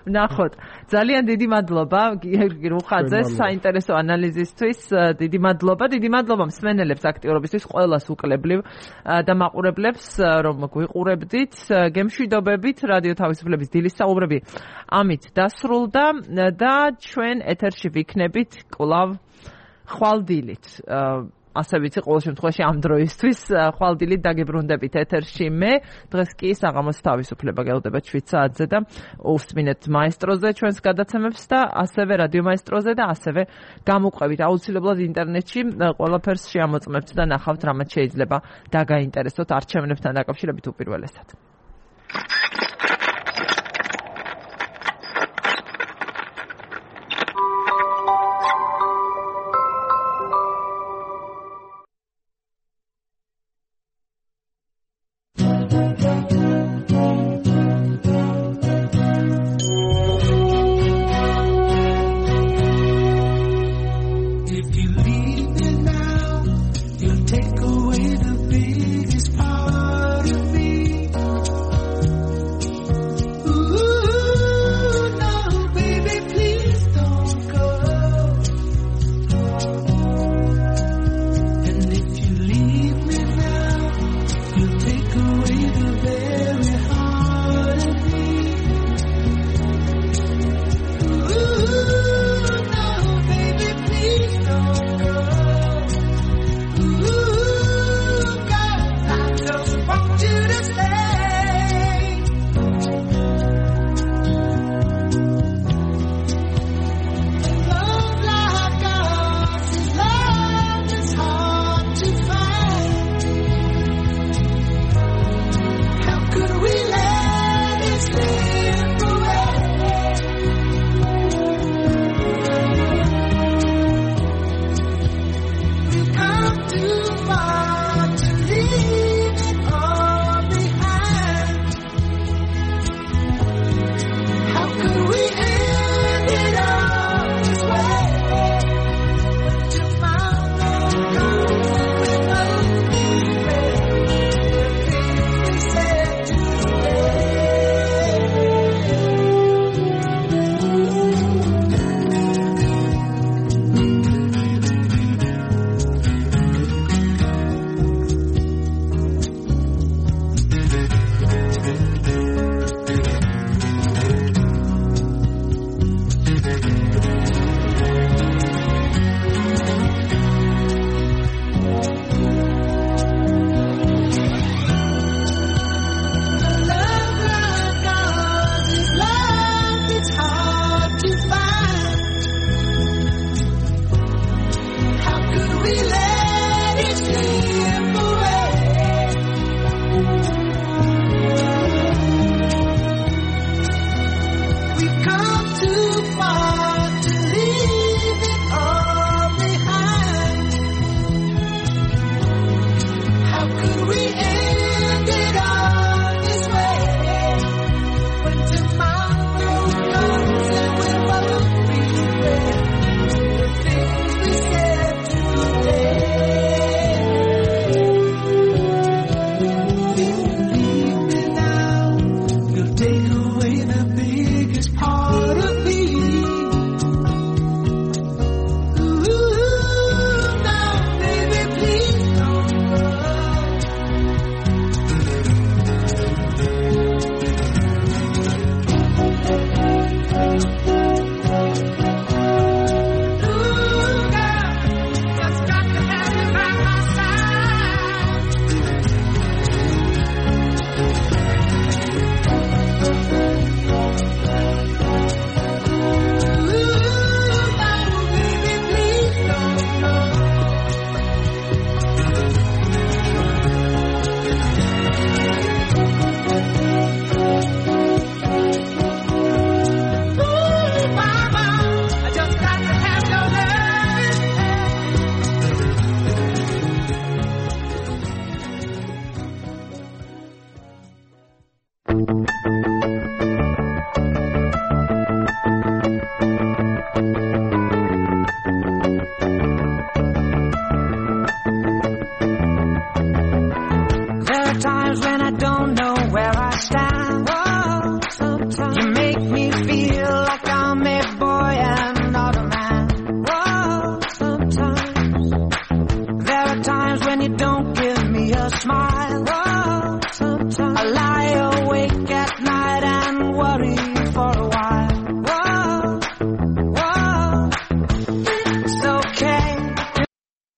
Speaker 1: ნახოთ, ძალიან დიდი მადლობა გიორგი რუხაძეს საინტერესო ანალიზისთვის, დიდი მადლობა, დიდი მადლობა მსმენელებს აქტიურობისთვის, ყველას უკლებლივ და მაყურებლებს, რომ გვიყურებდით, გემშვიდობებით, რადიო თავისუფლების დილის საუბრები ამით დასრულდა და ჩვენ ეთერში ვიქნებით კვლავ ხვალდილით. ასე ვიცი, ყოველ შემთხვევაში ამ დროისთვის ხვალდილით დაგებრუნდებით ეთერში მე. დღეს კი საღამოს თავისუფლება გელოდება შვიდ საათზე და უსმინეთ მაესტროზე ჩვენს გადაცემებს და ასევე რადიო მაესტროზე და ასევე გამოყვებით აუცილებლად ინტერნეტში ყველაფერს შეამოწმებთ და ნახავთ რამაც შეიძლება დაგაინტერესოთ არჩევნებთან დაკავშირებით უპირველესად.
Speaker 9: Ooh, no, baby, please don't.